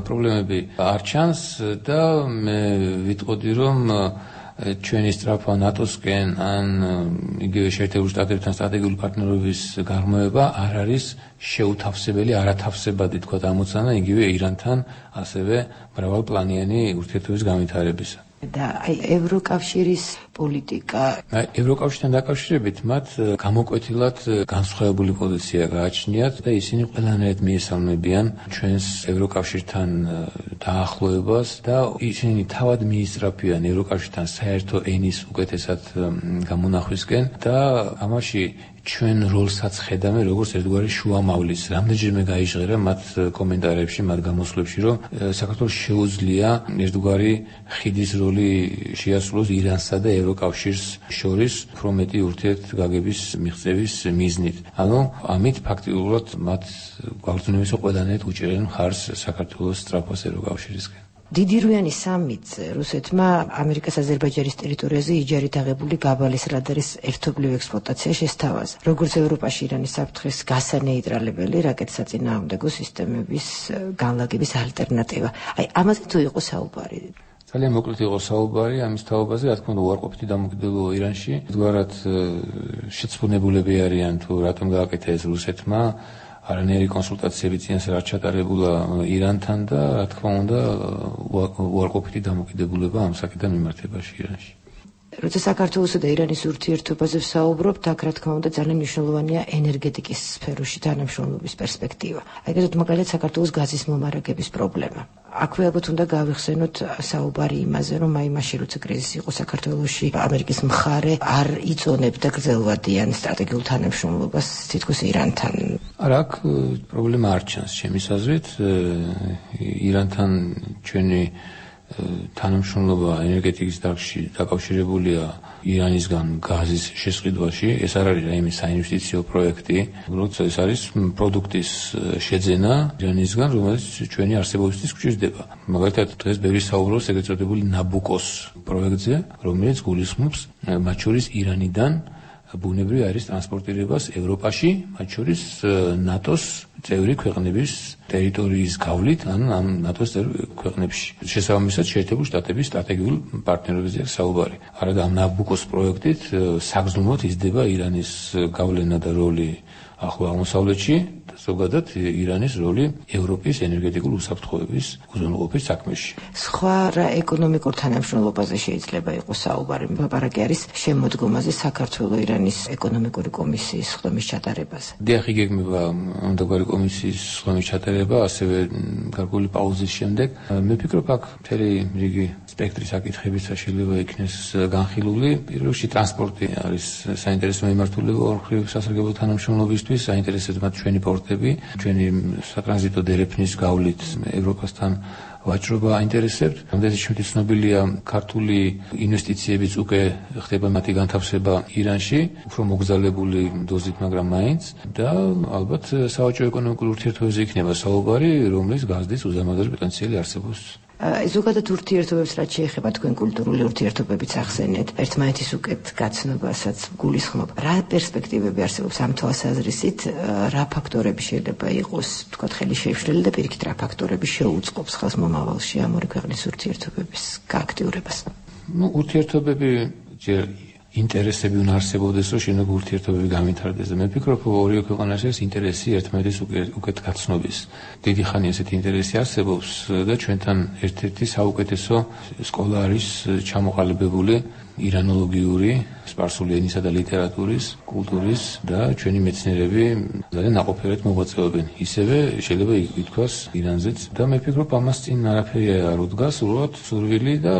პრობლემები არ ჩანს და მე ვიტყოდი, რომ ჩვენი სწრაფვა ნატოსკენ ან იგივე შეერთებულ შტატებთან სტრატეგიული პარტნიორობის გაღრმავება არ არის შეუთავსებელი, არათავსებადი თქვა ამოცანა იგივე ირანთან, ასევე მრავალპლანიანი ურთიერთობის განვითარებისა. და აი ევროკავშირის პოლიტიკა ევროკავშირთან დაკავშირებით მათ გამოკვეთილად განსხვავებული პოზიცია გააჩნიათ და ისინი ყველანაირად მიესალმებიან ჩვენს ევროკავშირთან დაახლოებას და ისინი თავად მიისწრაფიან ევროკავშირთან საერთო ენის უკეთესად გამონახვისკენ და ამაში ჩვენ როლსაც ხედავენ როგორც ერთგვარი შუამავლის. რამდენჯერმე გაიჟღერა მათ კომენტარებში, მათ გამოსვლებში, რომ საქართველოს შეუძლია ერთგვარი ხიდის როლი შეასრულოს ირანსა და ევროკავშირს შორის უფრო მეტი ურთიერთგაგების მიღწევის მიზნით. ანუ ამით ფაქტიურად მათ გვაგრძნობისო ყველანაირად უჭერენ მხარს საქართველოს სწრაფვას ევროკავშირისკენ. დიდირვიანი სამიტზე რუსეთმა ამერიკას აზერბაიჯანის ტერიტორიაზე იჯარით აღებული გაბალის რადარის ერთობლივ ექსპლუატაცია შესთავაზა. როგორც ევროპაში ირანის საფრთხეს გასანეიტრალებელი რაკეტსაწინააღმდეგო სისტემების განლაგების ალტერნატივა. აი, ამაზე თუ იყო საუბარი? ძალიან მოკლედ იყო საუბარი ამის თაობაზე, რა თქმა უნდა, უარყოფითი დამოკიდებულება ირანში. თქვათ, შეცდომებულები არიან თუ რატომ გააკეთა ეს რუსეთმა. არანაირი კონსულტაციები წინასწარ არ ჩატარებულა ირანთან და რა თქმა უნდა უარყოფითი დამოკიდებულება ამ საკითხთან მიმართებაში ირანში. როცა საქართველოსა და ირანის ურთიერთობაზე ვსაუბრობთ, აქ რა თქმა უნდა ძალიან მნიშვნელოვანია ენერგეტიკის სფეროში თანამშრომლობის პერსპექტივა. ეგრეთ მაგალითად საქართველოს გაზის მომარაგების პრობლემა. აქვე ალბათ უნდა გავიხსენოთ საუბარი იმაზე, რომ აი მაშინ როცა კრიზისი იყო საქართველოში, ამერიკის მხარე არ იწონებდა გრძელვადიან სტრატეგიულ თანამშრომლობას თითქოს ირანთან. არა, აქ პრობლემა არ ჩანს ჩემის აზრით. ირანთან ჩვენი თანამშრომლობა ენერგეტიკის დარგში დაკავშირებულია ირანისგან გაზის შესყიდვაში. ეს არ არის რაიმე საინვესტიციო პროექტი, როცა ეს არის პროდუქტის შეძენა ირანისგან, რომელიც ჩვენი არსებობისთვის გვჭირდება. მაგალითად, დღეს ბევრი საუბრობს ეგრეთ წოდებული ნაბუკოს პროექტზე, რომელიც გულისხმობს მათ შორის ირანიდან ბუნებრივი არის ტრანსპორტირებას ევროპაში, მათ შორის ნატოს წევრი ქვეყნების ტერიტორიის გავლით, ან ამ ნატოს ქვეყნებში. შესაბამისად, შეერთებული შტატების სტრატეგიულ პარტნიორობაზე საუბარი. არადა ამ ნაბუკოს პროექტით საგრძნობლად იზრდება ირანის გავლენა და როლი ახლო აღმოსავლეთში, ზოგადად ირანის როლი ევროპის ენერგეტიკული უსაფრთხოების უზრუნველყოფის საქმეში. სხვა რა ეკონომიკურ თანამშრომლობაზე შეიძლება იყოს საუბარი? ლაპარაკი არის შემოდგომაზე საქართველოს իրანის ეკონომიკური კომისიის ხდომის ჩატარებაზე. დიახ, იგეგმება ამგვარი კომისიის ხდომის ჩატარება, ასევე გარკვეული პაუზის შემდეგ. მე ვფიქრობ, აქ მთელი რიგი სპექტრი საკითხებიც შეიძლება იქნეს განხილული. პირველ რიგში ტრანსპორტი არის საინტერესო მიმართულება ორ მხრივ სასარგებლო თანამშრომლობისთვის, საინტერესოა მათ ჩვენი პორტები, ჩვენი სატრანზიტო დერეფნის გავლით ევროპასთან ვაჭრობა აინტერესებთ. ამდენიც ჩვენი ცნობილია ქართული ინვესტიციებიც უკვე ხდება მათი განთავსება ირანში, უფრო მოგზალებული დოზით, მაგრამ მაინც და ალბათ სავაჭრო ეკონომიკურ ურთიერთობებზე იქნება საუბარი, რომლის გაზრდის უზარმაზარი პოტენციალი არსებობს. ზოგადად ურთიერთობებს რაც შეეხება თქვენ კულტურული ურთიერთობებიც ახსენეთ, ერთმანეთის უკეთ გაცნობასაც გულისხმობ. რა პერსპექტივები არსებობს ამ თვალსაზრისით, რა ფაქტორები შეიძლება იყოს, თქვათ, ხელი შეშლილი და პირიქით რა ფაქტორები შეუწყობს ხალხს მომავალში ამ ორი ქვეყნის ურთიერთობების გააქტიურებას? ნუ ურთიერთობები ჯერ ინტერესები უნდა არსებობდეს, რომ შენობა ურთიერთობები გამვითარდეს და მე ვფიქრობ, რომ ორივე ქვეყანაში ეს ინტერესი ერთმანეთის უკეთ გაცნობის. დიდი ხანი ესეთი ინტერესი არსებობს და ჩვენთან ერთ-ერთი საუკეთესო სკოლა არის ჩამოყალიბებული ირანოლოგიური, სპარსული ენისა და ლიტერატურის, კულტურის და ჩვენი მეცნიერები ძალიან ნაყოფიერად მოღვაწეობენ. ისევე შეიძლება ითქვას ირანზეც და მე ვფიქრობ, ამას წინ არაფერი არ უდგას, უბრალოდ სურვილი და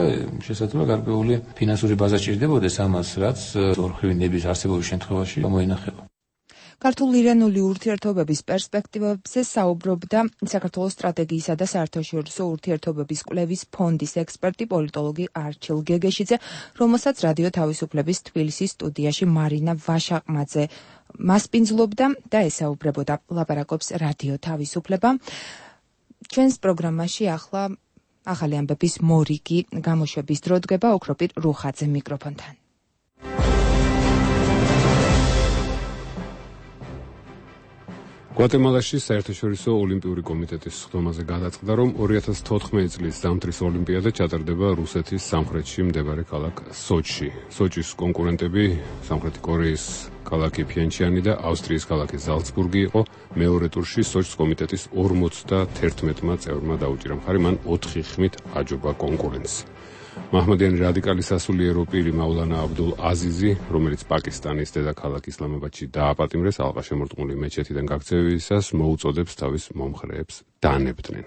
შესაძლოა გარკვეული ფინანსური ბაზა სჭირდებოდეს ამას, რაც ორხრივი ნების არსებობის შემთხვევაში გამოინახება. ქართულ-ირანული ურთიერთობების პერსპექტივებზე საუბრობდა საქართველოს სტრატეგიისა და საერთაშორისო ურთიერთობების კვლევის ფონდის ექსპერტი პოლიტოლოგი არჩილ გეგეშიძე, რომელსაც რადიო თავისუფლების თბილისის სტუდიაში მარინა ვაშაყმაძე მასპინძლობდა და ესაუბრებოდა. ლაპარაკობს რადიო თავისუფლება. ჩვენს პროგრამაში ახლა ახალი ამბების მორიგი გამოშვების დრო დგება ოქროპირ რუხაძე მიკროფონთან. გვატემალაში საერთაშორისო ოლიმპიური კომიტეტის ხდომაზე გადაწყდა, რომ ორი ათას თოთხმეტი წლის ზამთრის ოლიმპიადა ჩატარდება რუსეთის სამხრეთში მსდებარე ქალაქ სოჩში. სოჩის კონკურენტები სამხრეთი კორეის ქალაქი ფიენჩიანი და ავსტრიის ქალაქი ზალცბურგი იყო. მეორე ტურში სოჩის კომიტეტის ორმოცდაერთმეტმა წევრმა დაუჭირა მხარი, მან ოთხი ხმით აჯობა კონკურენტს. მაჰმადიანი რადიკალი სასულიერო პირი მაულანა აბდულ აზიზი, რომელიც პაკისტანის დედაქალაქ ისლამაბადში დააპატიმრეს ალყაშემორტყმული მეჩეთიდან გაქცევისას, მოუწოდებს თავის მომხრეებს დანებდნენ.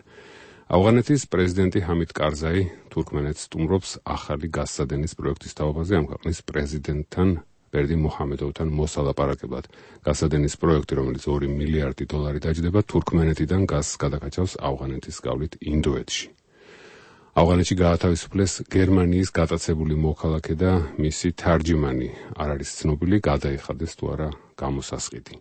ავღანეთის პრეზიდენტი ჰამიდ კარზაი თურქმენეთს სტუმრობს ახალი გაზსადენის პროექტის თაობაზე ამ ქვეყნის პრეზიდენტთან ბერდი მუჰამედოვთან მოსალაპარაკებლად. გაზსადენის პროექტი, რომელიც ორი მილიარდი დოლარი დაჯდება, თურქმენეთიდან გაზს გადაკაჩავს ავღანეთის გავლით ინდოეთში. ავღანეთში გაათავისუფლეს გერმანიის გატაცებული მოქალაქე და მისი თარჯიმანი არ არის ცნობილი, გადაიხადეს თუ არა გამოსასყიდი.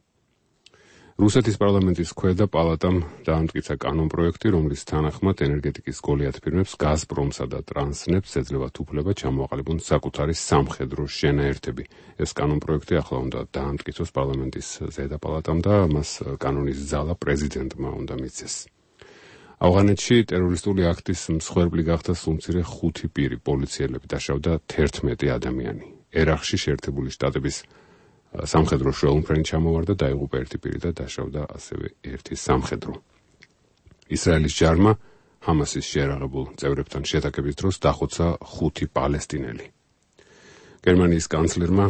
რუსეთის პარლამენტის ქვედა პალატამ დაამტკიცა კანონპროექტი, რომლის თანახმად ენერგეტიკის გოლიათ ფირმებს გაზპრომსა და ტრანსნეფს ეძლევათ უფლება ჩამოაყალიბონ საკუთარი სამხედრო შენაერთები. ეს კანონპროექტი ახლა უნდა დაამტკიცოს პარლამენტის ზედა პალატამ და მას კანონის ძალა პრეზიდენტმა უნდა მიცეს. ავღანეთში ტერორისტული აქტის მსხვერპლი გახდა სულმცირე ხუთი პირი, პოლიციელები დაშავდა თერთმეტი ადამიანი. ერაყში შეერთებული შტატების სამხედრო შუალმფრენი ჩამოვარდა, დაიღუპა ერთი პირი და დაშავდა ასევე ერთი სამხედრო. ისრაელის ჯარმა ჰამასის შეერაღებულ წევრებთან შეტაკების დროს დახოცა ხუთი პალესტინელი. გერმანიის კანცლერმა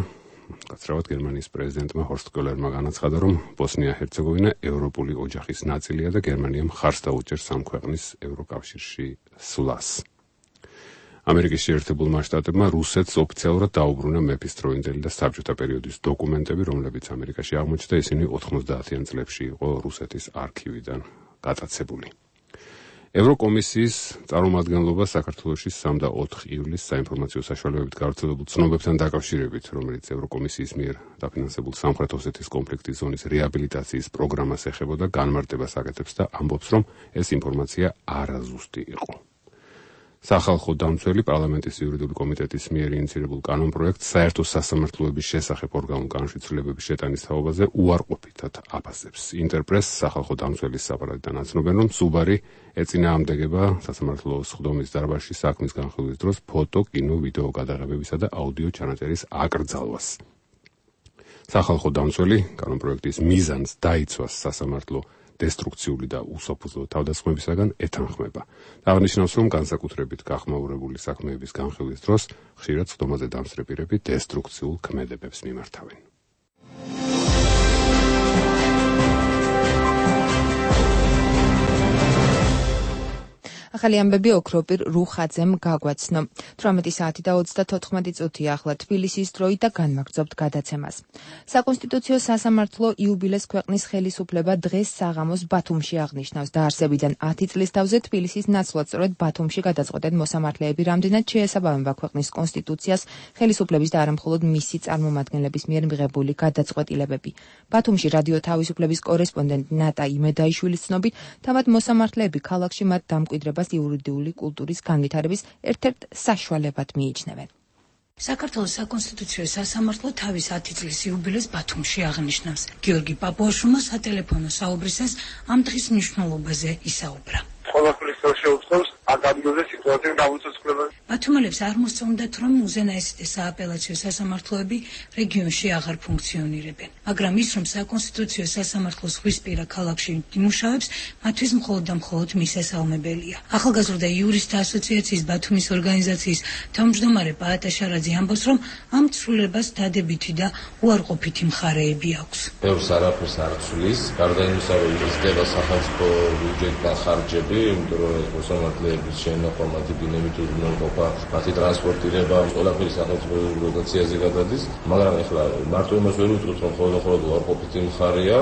გაცრავად გერმანიის პრეზიდენტმა ჰორსტ კოლერმა განაცხადა, რომ ბოსნია-ჰერცეგოვინა ევროპული ოჯახის ნაწილია და გერმანია მხარს დაუჭერს ამ ქვეყნის ევროკავშირში სვლას. ამერიკის შეერთებულმა შტატებმა რუსეთს ოფიციალურად დაუბრუნა მეფის დროინდელი და საბჭოთა პერიოდის დოკუმენტები, რომლებიც ამერიკაში აღმოჩნდა, ისინი ოთხმოცდაათიან წლებში იყო რუსეთის არქივიდან გატაცებული. ევროკომისიის წარმომადგენლობა საქართველოში სამი და ოთხი ივლისს საინფორმაციო საშუალებებით გავრცელებულ ცნობებთან დაკავშირებით, რომელიც ევროკომისიის მიერ დაფინანსებულ სამხრეთ ოსეთის კონფლიქტის ზონის რეაბილიტაციის პროგრამას ეხებოდა, განმარტებას აკეთებს და ამბობს, რომ ეს ინფორმაცია არაზუსტი იყო. სახალხო დამცველი პარლამენტის იურიდიული კომიტეტის მიერ ინიცირებულ კანონპროექტს საერთო სასამართლოების შესახებ ორგანულ განშიფრების შეტანის თაობაზე უარყოფითად აფასებს. ინტერპრეს სახალხო დამცველის საპარადიდან აცნობენ, რომ სუბარი ეწინააღმდეგება სასამართლოს ხდომის დარბაზში საქმის განხილვის დროს ფოტო, კინო, ვიდეო გადაღებებისა და აუდიო ჩანაწერის აკრძალვას. სახალხო დამცველი კანონპროექტის მიზანს დაიცვას სასამართლო დესტრუქციული და უსოფლო თავდასხმებისაგან ეთანხმება. აღნიშნავს, რომ განსაკუთრებით გახმაურებული საქმეების განხილვის დროს ხშირად სხდომაზე დამსწრე პირები დესტრუქციულ ქმედებებს მიმართავენ. ახალი ამბები ოქროპირ რუხაძემ გაგვაცნო. თვრამეტი საათი და ოცდათოთხმეტი წუთი ახლა თბილისის დროით და განვაგრძობთ გადაცემას. საკონსტიტუციო სასამართლო იუბილეს ქვეყნის ხელისუფლება დღეს საღამოს ბათუმში აღნიშნავს. დაარსებიდან ათი წლის თავზე თბილისის ნაცვლად სწორედ ბათუმში გადაწყვეტენ მოსამართლეები, რამდენად შეესაბამება ქვეყნის კონსტიტუციას ხელისუფლების და არა მხოლოდ მისი წარმომადგენლების მიერ მიღებული გადაწყვეტილებები. ბათუმში რადიო თავისუფლების კორესპონდენტ ნატა იმედაიშვილის ცნობით, თავად მოსამართლეები ქალაქში მათ დამკვიდრებას იურიდიული კულტურის განვითარების ერთ-ერთ საშუალებად მიიჩნევენ. საქართველოს საკონსტიტუციო სასამართლო თავის ათი წლის იუბილეს ბათუმში აღნიშნავს. გიორგი პაპუაშვილმა სატელეფონო საუბრისას ამ დღის მნიშვნელობაზე ისაუბრა. ყველაფრის შეუწყობს აკადემიაზე სიტუაციის გამოცდილება. ბათუმელებს არ მოსწონდათ, რომ უზენაესი და სააპელაციო სასამართლოები რეგიონში აღარ ფუნქციონირებენ, მაგრამ ის, რომ საკონსტიტუციო სასამართლო ზღვისპირა ქალაქში იმუშავებს, მათთვის მხოლოდ და მხოლოდ მისასალმებელია. ახალგაზრდა იურისტთა ასოციაციის ბათუმის ორგანიზაციის თავმჯდომარე პაატა შარაძე ამბობს, რომ ამ ცვლილებას დადებითი და უარყოფითი მხარეები აქვს. ბევრს არაფერს არ ცვლის, გარდა იმისა, რომ იზრდება სახელმწიფო ბიუჯეტიდან ხარჯები, იმიტომ რომ მოსამართლეების შენახვა, მათი დინამით უზრუნველყოფა, მათი ტრანსპორტირება, ყველაფერი სახელმწიფო დოტაციაზე გადადის, მაგრამ ეხლა მარტო იმას ვერ ვიტყვით, რომ ხოლმე უარყოფითი მხარეა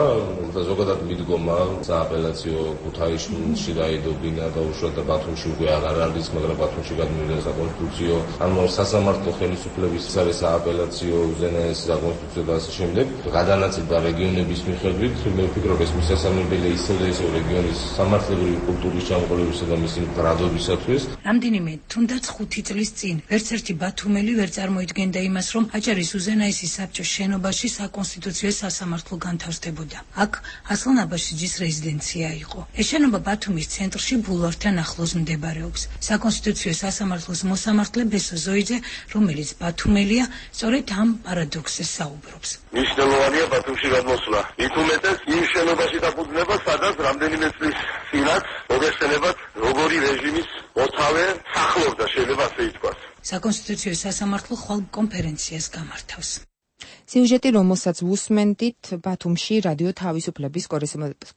და ზოგადად მიდგომა სააპელაციო ქუთაისში დაიდობინა და უშუალოდ და ბათუმში უკვე აღარ არის, მაგრამ ბათუმში გადმოვიდა საკონსტიტუციო, ანუ სასამართლო ხელისუფლების არის სააპელაციო უზენაესი საკონსტიტუციო და ასე შემდეგ. გადანაწილდა რეგიონების მიხედვით, მე ვფიქრობ, ეს მისასალმებელია ისევ და ისევ რეგიონის სამართლებრივი კულტურის ჩამოყალიბებისა და მისი მდგრადობისათვის. რამდენიმე თუნდაც ხუთი წლის წინ ვერც ერთი ბათუმელი ვერ წარმოიდგენდა იმას, რომ აჭარის უზენაესი საბჭოს შენობაში საკონსტიტუციო სასამართლო განთავსდებოდა. აქ ასლან აბაშიძის რეზიდენცია იყო. ეს შენობა ბათუმის ცენტრში ბულვართან ახლოს მდებარეობს. საკონსტიტუციო სასამართლოს მოსამართლე ბესო ზოიძე, რომელიც ბათუმელია, სწორედ ამ პარადოქსს საუბრობს. მნიშვნელოვანია ბათუმში გადმოსვლა. იქ უმეტეს იმ შენობაში დაფუძნება, სადაც რამდენიმე წლის წინაც მოგესწრებათ როგორი რეჟიმის მოთავე სახლობდა, შეიძლება ასე ითქვას. საკონსტიტუციო სასამართლო ხვალ კონფერენციას გამართავს. სიუჟეტი, რომელსაც უსმენდით, ბათუმში რადიო თავისუფლების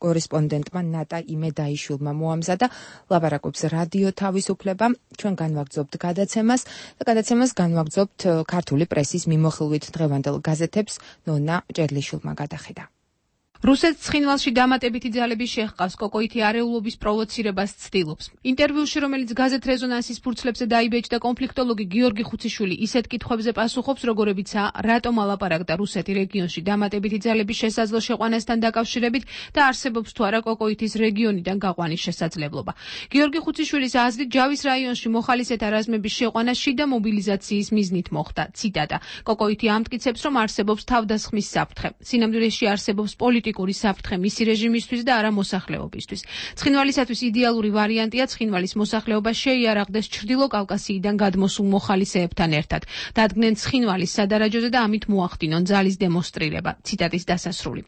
კორესპონდენტმა ნატა იმედაიშვილმა მოამზადა. ლაპარაკობს რადიო თავისუფლება. ჩვენ განვაგრძობთ გადაცემას და გადაცემას განვაგრძობთ ქართული პრესის მიმოხილვით დღევანდელ გაზეთებს. ნონა ჭერლიშვილმა გადახედა. რუსეთს ცხინვალში დამატებითი ძალები შეჰყავს, კოკოითი არეულობის პროვოცირებას ცდილობს. ინტერვიუში, რომელიც გაზეთ რეზონანსის ფურცლებზე დაიბეჭდა, კონფლიქტოლოგი გიორგი ხუციშვილი ისეთ კითხვებზე პასუხობს, როგორებიცაა, რატომ ალაპარაკდა რუსეთი რეგიონში დამატებითი ძალების შესაძლო შეყვანასთან დაკავშირებით და არსებობს თუ არა კოკოითის რეგიონიდან გაყვანის შესაძლებლობა. გიორგი ხუციშვილის აზრით, ჯავის რაიონში მოხალისეთა რაზმების შეყვანა შიდა მობილიზაციის მიზნით მოხდა. ციტატა: კოკოითი ამტკიცებს, რომ არსებობს თავდასხმის საფრთხე. სინამდვილეში არსებობს პოლიტიკური საფრთხე მისი რეჟიმისთვის და არა მოსახლეობისთვის. ცხინვალისათვის იდეალური ვარიანტია ცხინვალის მოსახლეობა შეიარაღდეს ჩრდილო კავკასიიდან გადმოსულ მოხალისეებთან ერთად. დადგნენ ცხინვალის სადარაჯოზე და ამით მოახდინონ ძალის დემონსტრირება. ციტატის დასასრული.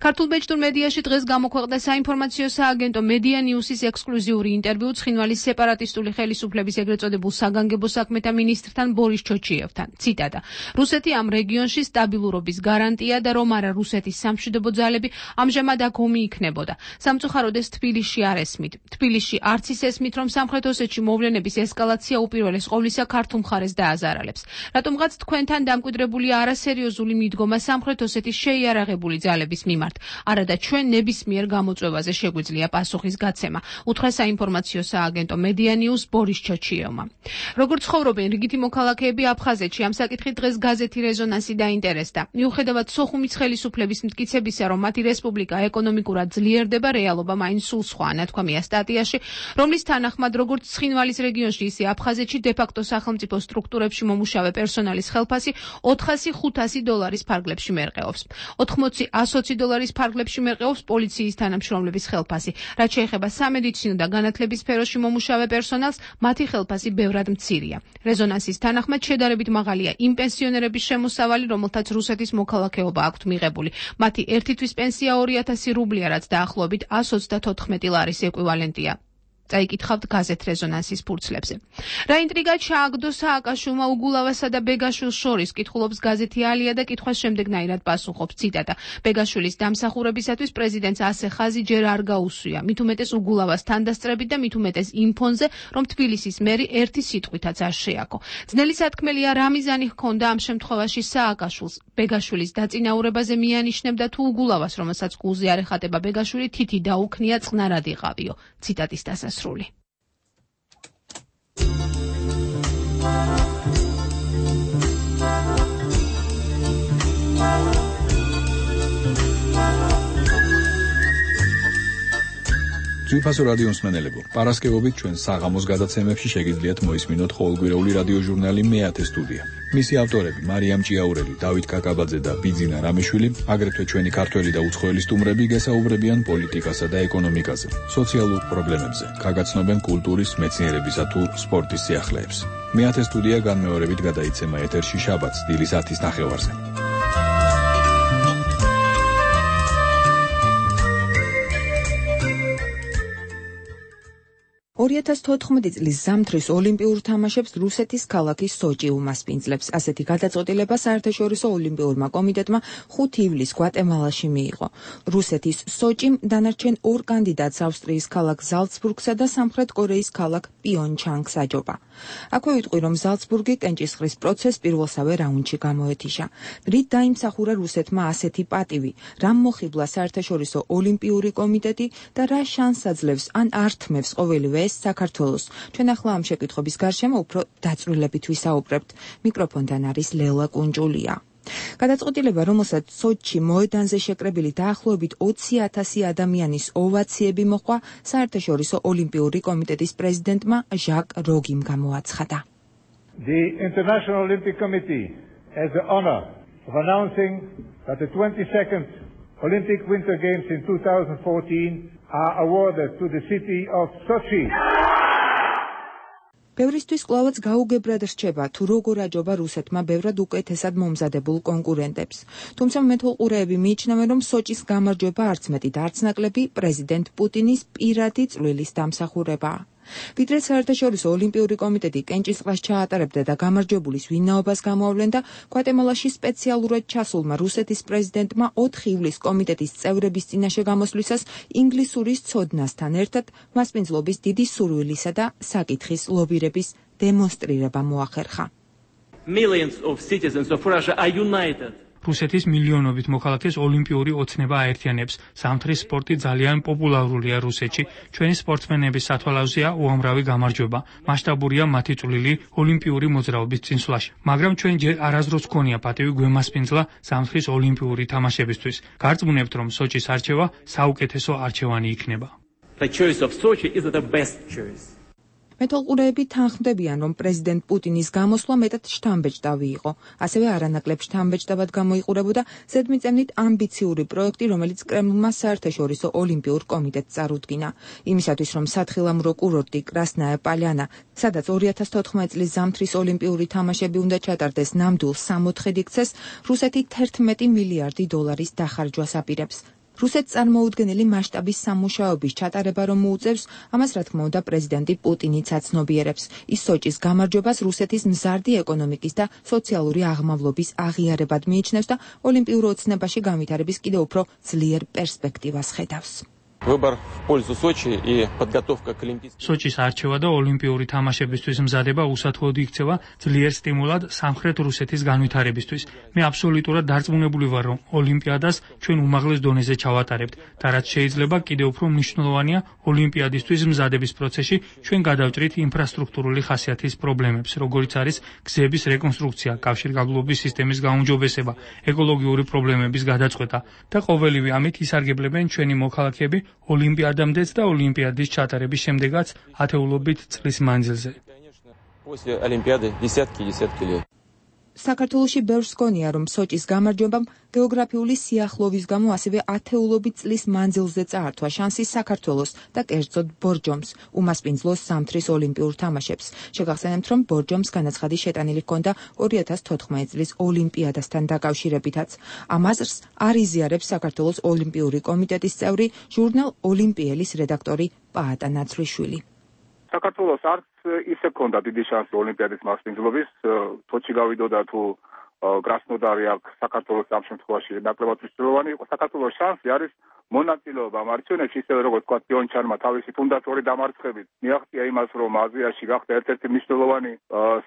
ქართულ ბეჭდურ მედიაში დღეს გამოქვეყნდა საინფორმაციო სააგენტო მედია ნიუსის ექსკლუზიური ინტერვიუ ცხინვალის სეპარატისტული ხელისუფლების ეგრეთ წოდებულ საგანგებო საქმეთა მინისტრთან ბორის ჩოჩიევთან. ციტატა: რუსეთი ამ რეგიონში სტაბილურობის გარანტია და რომ არა რუსეთის სამშვიდობო ძალები ამჟამად აქ ომი იქნებოდა. სამწუხაროდ ეს თბილისში არ ესმით. თბილისში არც ის ესმით, რომ სამხრეთ ოსეთში მოვლენების ესკალაცია უპირველეს ყოვლისა ქართულ მხარეს დააზარალებს. რატომღაც თქვენთან დამკვიდრებული არასერიოზული მიდგომა სამხრეთ ოსეთის შეიარაღებული ძალების მიმართ. არადა ჩვენ ნებისმიერ გამოწვევაზე შეგვიძლია პასუხის გაცემა. უთხრა საინფორმაციო სააგენტო მედია ნიუს ბორის ჩოჩიევმა. როგორც ცხოვრობენ რიგითი მოქალაქეები აფხაზეთში, ამ საკითხით დღეს გაზეთი რეზონანსი დაინტერესდა. მიუხედავად სოხუმის ხელისუფლების მტკიცებისა, რომ მათი რესპუბლიკა ეკონომიკურად ძლიერდება, რეალობა მაინც სულ სხვა. ნათქვამია სტატიაში, რომლის თანახმად როგორც ცხინვალის რეგიონში, ისე აფხაზეთში დე-ფაქტო სახელმწიფო სტრუქტურებში მომუშავე პერსონალის ხელფასი ოთხასი ხუთასი დოლარის ფარგლებში მერყეობს. ოთხმოცი ათი დოლარის ფარგლებში მერყეობს პოლიციის თანამშრომლების ხელფასი. რაც შეეხება სამედიცინო და განათლების სფეროში მომუშავე პერსონალს, მათი ხელფასი ბევრად მცირეა. რეზონანსის თანახმად შედარებით მაღალია იმ პენსიონერების შემოსავალი, რომელთაც რუსეთის მოქალაქეობა აქვთ მიღებული. მათი ერთი თვის უხეშმარცმენია ორი ათასი რუბლია, რაც დაახლოებით one twenty-four ლარის ეკვივალენტია. წაიკითხავთ გაზეთ რეზონანსის ფურცლებზე. რა ინტრიგა ჩააგდო სააკაშვილმა უგულავასა და ბეგაშვილს შორის, კითხულობს გაზეთი ალია და კითხვას შემდეგნაირად პასუხობს, ციტატა: ბეგაშვილის დამსახურებისათვის პრეზიდენტს ასე ხაზი ჯერ არ გაუსვია, მით უმეტეს უგულავას თანდასწრებით და მით უმეტეს იმ ფონზე, რომ თბილისის მერი ერთი სიტყვითაც არ შეაქო. ძნელი სათქმელია რა მიზანი ჰქონდა ამ შემთხვევაში სააკაშვილს. ბეგაშვილის დაწინაურებაზე მიანიშნებდა თუ უგულავას, რომელსაც გულზე არ ეხატება ბეგაშვილი, თითი დაუქნია წყნარად იყავიო. ციტატის დასასრული. ძვირფასო რადიო მსმენელებო, პარასკევობით ჩვენ საღამოს გადაცემებში შეგიძლიათ მოისმინოთ ყოველკვირეული რადიო ჟურნალი მეათე სტუდია. მისი ავტორები მარიამ ჭიაურელი, დავით კაკაბაძე და ბიძინა რამეშვილი, აგრეთვე ჩვენი ქართველი და უცხოელი სტუმრები გესაუბრებიან პოლიტიკასა და ეკონომიკაზე, სოციალურ პრობლემებზე, გაგაცნობენ კულტურის, მეცნიერებისა თუ სპორტის სიახლეებს. მეათე სტუდია განმეორებით გადაიცემა ეთერში შაბათს დილის ათის ნახევარზე. ორი ათას თოთხმეტი წლის ზამთრის ოლიმპიურ თამაშებს რუსეთის ქალაქი სოჭი უმასპინძლებს. ასეთი გადაწყვეტილება საერთაშორისო ოლიმპიურმა კომიტეტმა ხუთი ივლისს გვატემალაში მიიღო. რუსეთის სოჭიმ დანარჩენ ორ კანდიდატს ავსტრიის ქალაქ ზალცბურგსა და სამხრეთ კორეის ქალაქ პიონჩანგს აჯობა. აქვე ვიტყვი, რომ ზალცბურგი კენჭისყრის პროცესს პირველსავე რაუნდში გამოეთიშა. რით დაიმსახურა რუსეთმა ასეთი პატივი, რამ მოხიბლა საერთაშორისო ოლიმპიური კომიტეტი და რა შანსს აძლევს ან ართმევს ყოველივე ეს საქართველოს. ჩვენ ახლა ამ შეკითხების გარშემო უფრო დაწვრილებით ვისაუბრებთ. მიკროფონთან არის ლელა კუნჯულია. გადაწყვეტილება, რომელსაც სოჩში მოედანზე შეკრებილი დაახლოებით ოცი ათასი ადამიანის ოვაციები მოჰყვა, საერთაშორისო ოლიმპიური კომიტეტის პრეზიდენტმა ჟაკ როგიმ გამოაცხადა. The International Olympic Committee has the honor of announcing that the twenty-second Olympic Winter Games in two thousand fourteen are awarded to the city of Sochi. ბევრისთვის კვლავაც გაუგებრად რჩება, თუ როგორ აჯობა რუსეთმა ბევრად უკეთესად მომზადებულ კონკურენტებს. თუმცა მეთვალყურეები მიიჩნევენ, რომ სოჭის გამარჯვება არც მეტი და არც ნაკლები პრეზიდენტ პუტინის პირადი წვლილის დამსახურებაა. ვიდრე საერთაშორისო ოლიმპიური კომიტეტი კენჭისყრას ჩაატარებდა და გამარჯვებულის ვინაობას გამოავლენდა, გვატემალაში სპეციალურად ჩასულმა რუსეთის პრეზიდენტმა ოთხი ივლისს კომიტეტის წევრების წინაშე გამოსვლისას ინგლისურის ცოდნასთან ერთად მასპინძლობის დიდი სურვილისა და საკითხის ლობირების დემონსტრირება მოახერხა. Millions of citizens of Russia are united. რუსეთის მილიონობით მოქალაქეს ოლიმპიური ოცნება აერთიანებს. ზამთრის სპორტი ძალიან პოპულარულია რუსეთში. ჩვენი სპორტსმენების სათვალავზეა უამრავი გამარჯვება. მასშტაბურია მათი წვლილი ოლიმპიური მოძრაობის წინსვლაში. მაგრამ ჩვენ ჯერ არასდროს გქონია პატივი გვემასპინძლა ზამთრის ოლიმპიური თამაშებისთვის. გარწმუნებთ, რომ სოჭის არჩევა საუკეთესო არჩევანი იქნება. The choice of Sochi is the best choice. მეთვალყურეები თანხმდებიან, რომ პრეზიდენტ პუტინის გამოსვლა მეტად შთამბეჭდავი იყო. ასევე არანაკლებ შთამბეჭდავად გამოიყურებოდა ზედმიწევნით ამბიციური პროექტი, რომელიც კრემლმა საერთაშორისო ოლიმპიურ კომიტეტს წარუდგინა. იმისათვის, რომ სათხილამურო კურორტი კრასნაია პალიანა, სადაც ორი ათას თოთხმეტი წლის ზამთრის ოლიმპიური თამაშები უნდა ჩატარდეს, ნამდვილ სამოთხედ იქცეს, რუსეთი თერთმეტი მილიარდი დოლარის დახარჯვას აპირებს. რუსეთს წარმოუდგენელი მასშტაბის სამუშაოების ჩატარება რომ მოუწევს, ამას რა თქმა უნდა პრეზიდენტი პუტინიც აცნობიერებს. ის სოჭის გამარჯვებას რუსეთის მზარდი ეკონომიკის და სოციალური აღმავლობის აღიარებად მიიჩნევს და ოლიმპიურ ოცნებაში განვითარების კიდევ უფრო ძლიერ პერსპექტივას ხედავს. Выбор в пользу Сочи и подготовка к Олимпийским. სოჭის არჩევა და ოლიმპიური თამაშებისთვის მზადება უსათხოვოდ იქცევა ძლიერ სტიმულად სამხრეთ რუსეთის განვითარებისთვის. მე აბსოლუტურად დარწმუნებული ვარ, რომ ოლიმპიადას ჩვენ უმაღლეს დონეზე ჩავატარებთ და რაც შეიძლება კიდევ უფრო მნიშვნელოვანია, ოლიმპიადისთვის მზადების პროცესში ჩვენ გადავჭრით ინფრასტრუქტურული ხასიათის პრობლემებს, როგორიც არის გზების რეკონსტრუქცია, კავშირგაბმულობის სისტემის გაუმჯობესება, ეკოლოგიური პრობლემების გადაწყვეტა და ყოველივე ამით ისარგებლებენ ჩვენი მოქალაქეები ოლიმპიადამდეც და ოლიმპიადის ჩატარების შემდეგაც ათეულობით წლის მანძილზე. საქართველოში ბევრს გონია, რომ სოჭის გამარჯვებამ გეოგრაფიული სიახლოვის გამო ასევე ათეულობით წლის მანძილზე წაართვა შანსი საქართველოს და კერძოდ ბორჯომს უმასპინძლოს ზამთრის ოლიმპიურ თამაშებს. შეგახსენებთ, რომ ბორჯომს განაცხადი შეტანილი ჰქონდა ორი ათას თოთხმეტი წლის ოლიმპიადასთან დაკავშირებითაც. ამ აზრს არ იზიარებს საქართველოს ოლიმპიური კომიტეტის წევრი, ჟურნალ ოლიმპიელის რედაქტორი პაატა ნაცვლიშვილი. საქართველოს არც ისე ჰქონდა დიდი შანსი ოლიმპიადის მასპინძლობის, თოჩი გავიდოდა თუ კრასნოდარი აქ საქართველოს ამ შემთხვევაში ნაკლებად მნიშვნელოვანი იყო. საქართველოს შანსი არის მონაწილეობა ამ არჩევნებში, ისევე როგორც თქვა პიონჩანმა თავისი ფუნდატორი დამარცხებით მიაღწია იმას, რომ აზიაში გახდა ერთ-ერთი მნიშვნელოვანი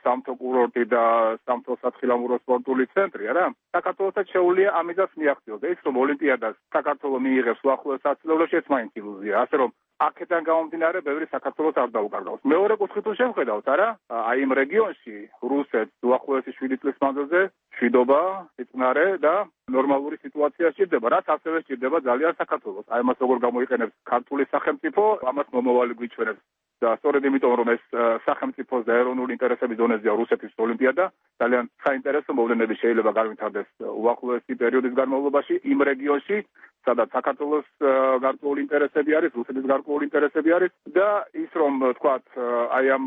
სამთო კურორტი და სამთო სათხილამურო სპორტული ცენტრი, არა? საქართველოსაც შეუძლია ამისას მიაღწიოს. ეს რომ ოლიმპიადას საქართველოს მიიღებს უახლოეს ასწლეულებში, ეს მაინც ილუზია. ასე რომ აქედან გამომდინარე ბევრი საქართველოს არ დაუკარგავს. მეორე კუთხით თუ შევხედავთ, არა? აი იმ რეგიონში რუსეთს უახლოესი შვიდი წლის მანძილზე მშვიდობა, სიწნარე და ნორმალური სიტუაცია სჭირდება, რაც ასევე სჭირდება ძალიან საქართველოს. აი მას როგორ გამოიყენებს ქართული სახელმწიფო, ამას მომავალი გვიჩვენებს. და სწორედ იმიტომ, რომ ეს სახელმწიფოს და ეროვნული ინტერესების დონეზეა რუსეთის ოლიმპიადა, ძალიან საინტერესო მოვლენები შეიძლება განვითარდეს უახლოესი პერიოდის განმავლობაში იმ რეგიონში, სადაც საქართველოს გარკვეული ინტერესები არის, რუსეთის გარკვეული ინტერესები არის და ის რომ თქვათ, აი ამ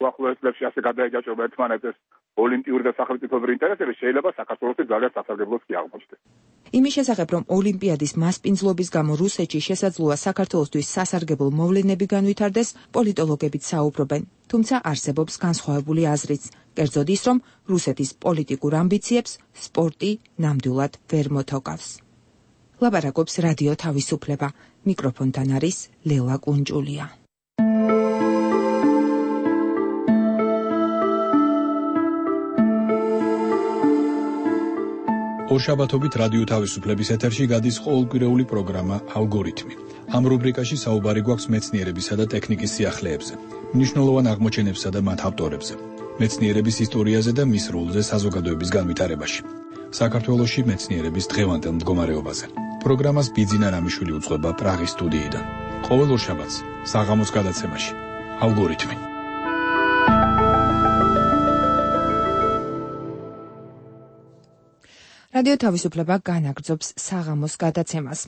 უახლოეს წლებში ასე გადაეჯაჭვება ერთმანეთს ოლიმპიური და სახელმწიფოებრივი ინტერესები, შეიძლება საქართველოსი ძალიან სასარგებლოს კი აღმოჩნდეს. იმის შესახებ, რომ ოლიმპიადის მასპინძლობის გამო რუსეთში შესაძლოა საქართველოსთვის სასარგებლო მოვლენები განვითარდეს, პოლიტოლოგებიც საუბრობენ, თუმცა არსებობს განსხვავებული აზრიც. კერძოდ ის, რომ რუსეთის პოლიტიკურ ამბიციებს სპორტი ნამდვილად ვერ მოთოკავს. ლაბარაკობს რადიო თავისუფლება. მიკროფონთან არის ლელა კუნჭულია. ორშაბათობით რადიო თავისუფლების ეთერში გადის ყოველკვირეული პროგრამა ალგორითმი. ამ რუბრიკაში საუბარი გვაქვს მეცნიერებისა და ტექნიკის სიახლეებზე, მნიშვნელოვან აღმოჩენებსა და მათ ავტორებზე, მეცნიერების ისტორიაზე და მის როლზე საზოგადოების განვითარებაში. საქართველოში მეცნიერების დღევანდელ მდგომარეობაზე. პროგრამას ბიძინა რამიშვილი უძღვება პრაღის სტუდიიდან. ყოველ ორშაბათს საღამოს გადაცემაში ალგორითმი. რადიო თავისუფლება განაგრძობს საღამოს გადაცემას.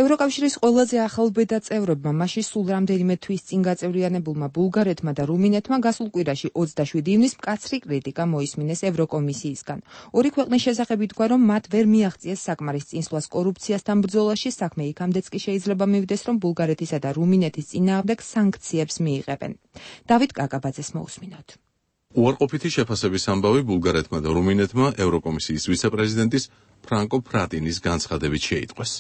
ევროკავშირის ყველაზე ახალ ბედა წევრებმა მასში სულ რამდენიმე თვის წინ გაწევრიანებულმა ბულგარეთმა და რუმინეთმა გასულ კვირაში ოცდაშვიდი ივნის მკაცრი კრიტიკა მოისმინეს ევროკომისიისგან. ორი ქვეყნის შესახებ ითქვა, რომ მათ ვერ მიაღწიეს საკმარის წინსვლას კორუფციასთან ბრძოლაში, საქმე იქამდეც კი შეიძლება მივიდეს, რომ ბულგარეთისა და რუმინეთის წინააღმდეგ სანქციებს მიიღებენ. დავით კაკაბაძეს მოусმინოთ. უარყოფითი შეფასების ამბავი ბულგარეთმა და რუმინეთმა ევროკომისიის ვიცე-პრეზიდენტის ფრანკო ფრატინის განცხადებით შეიტყვეს.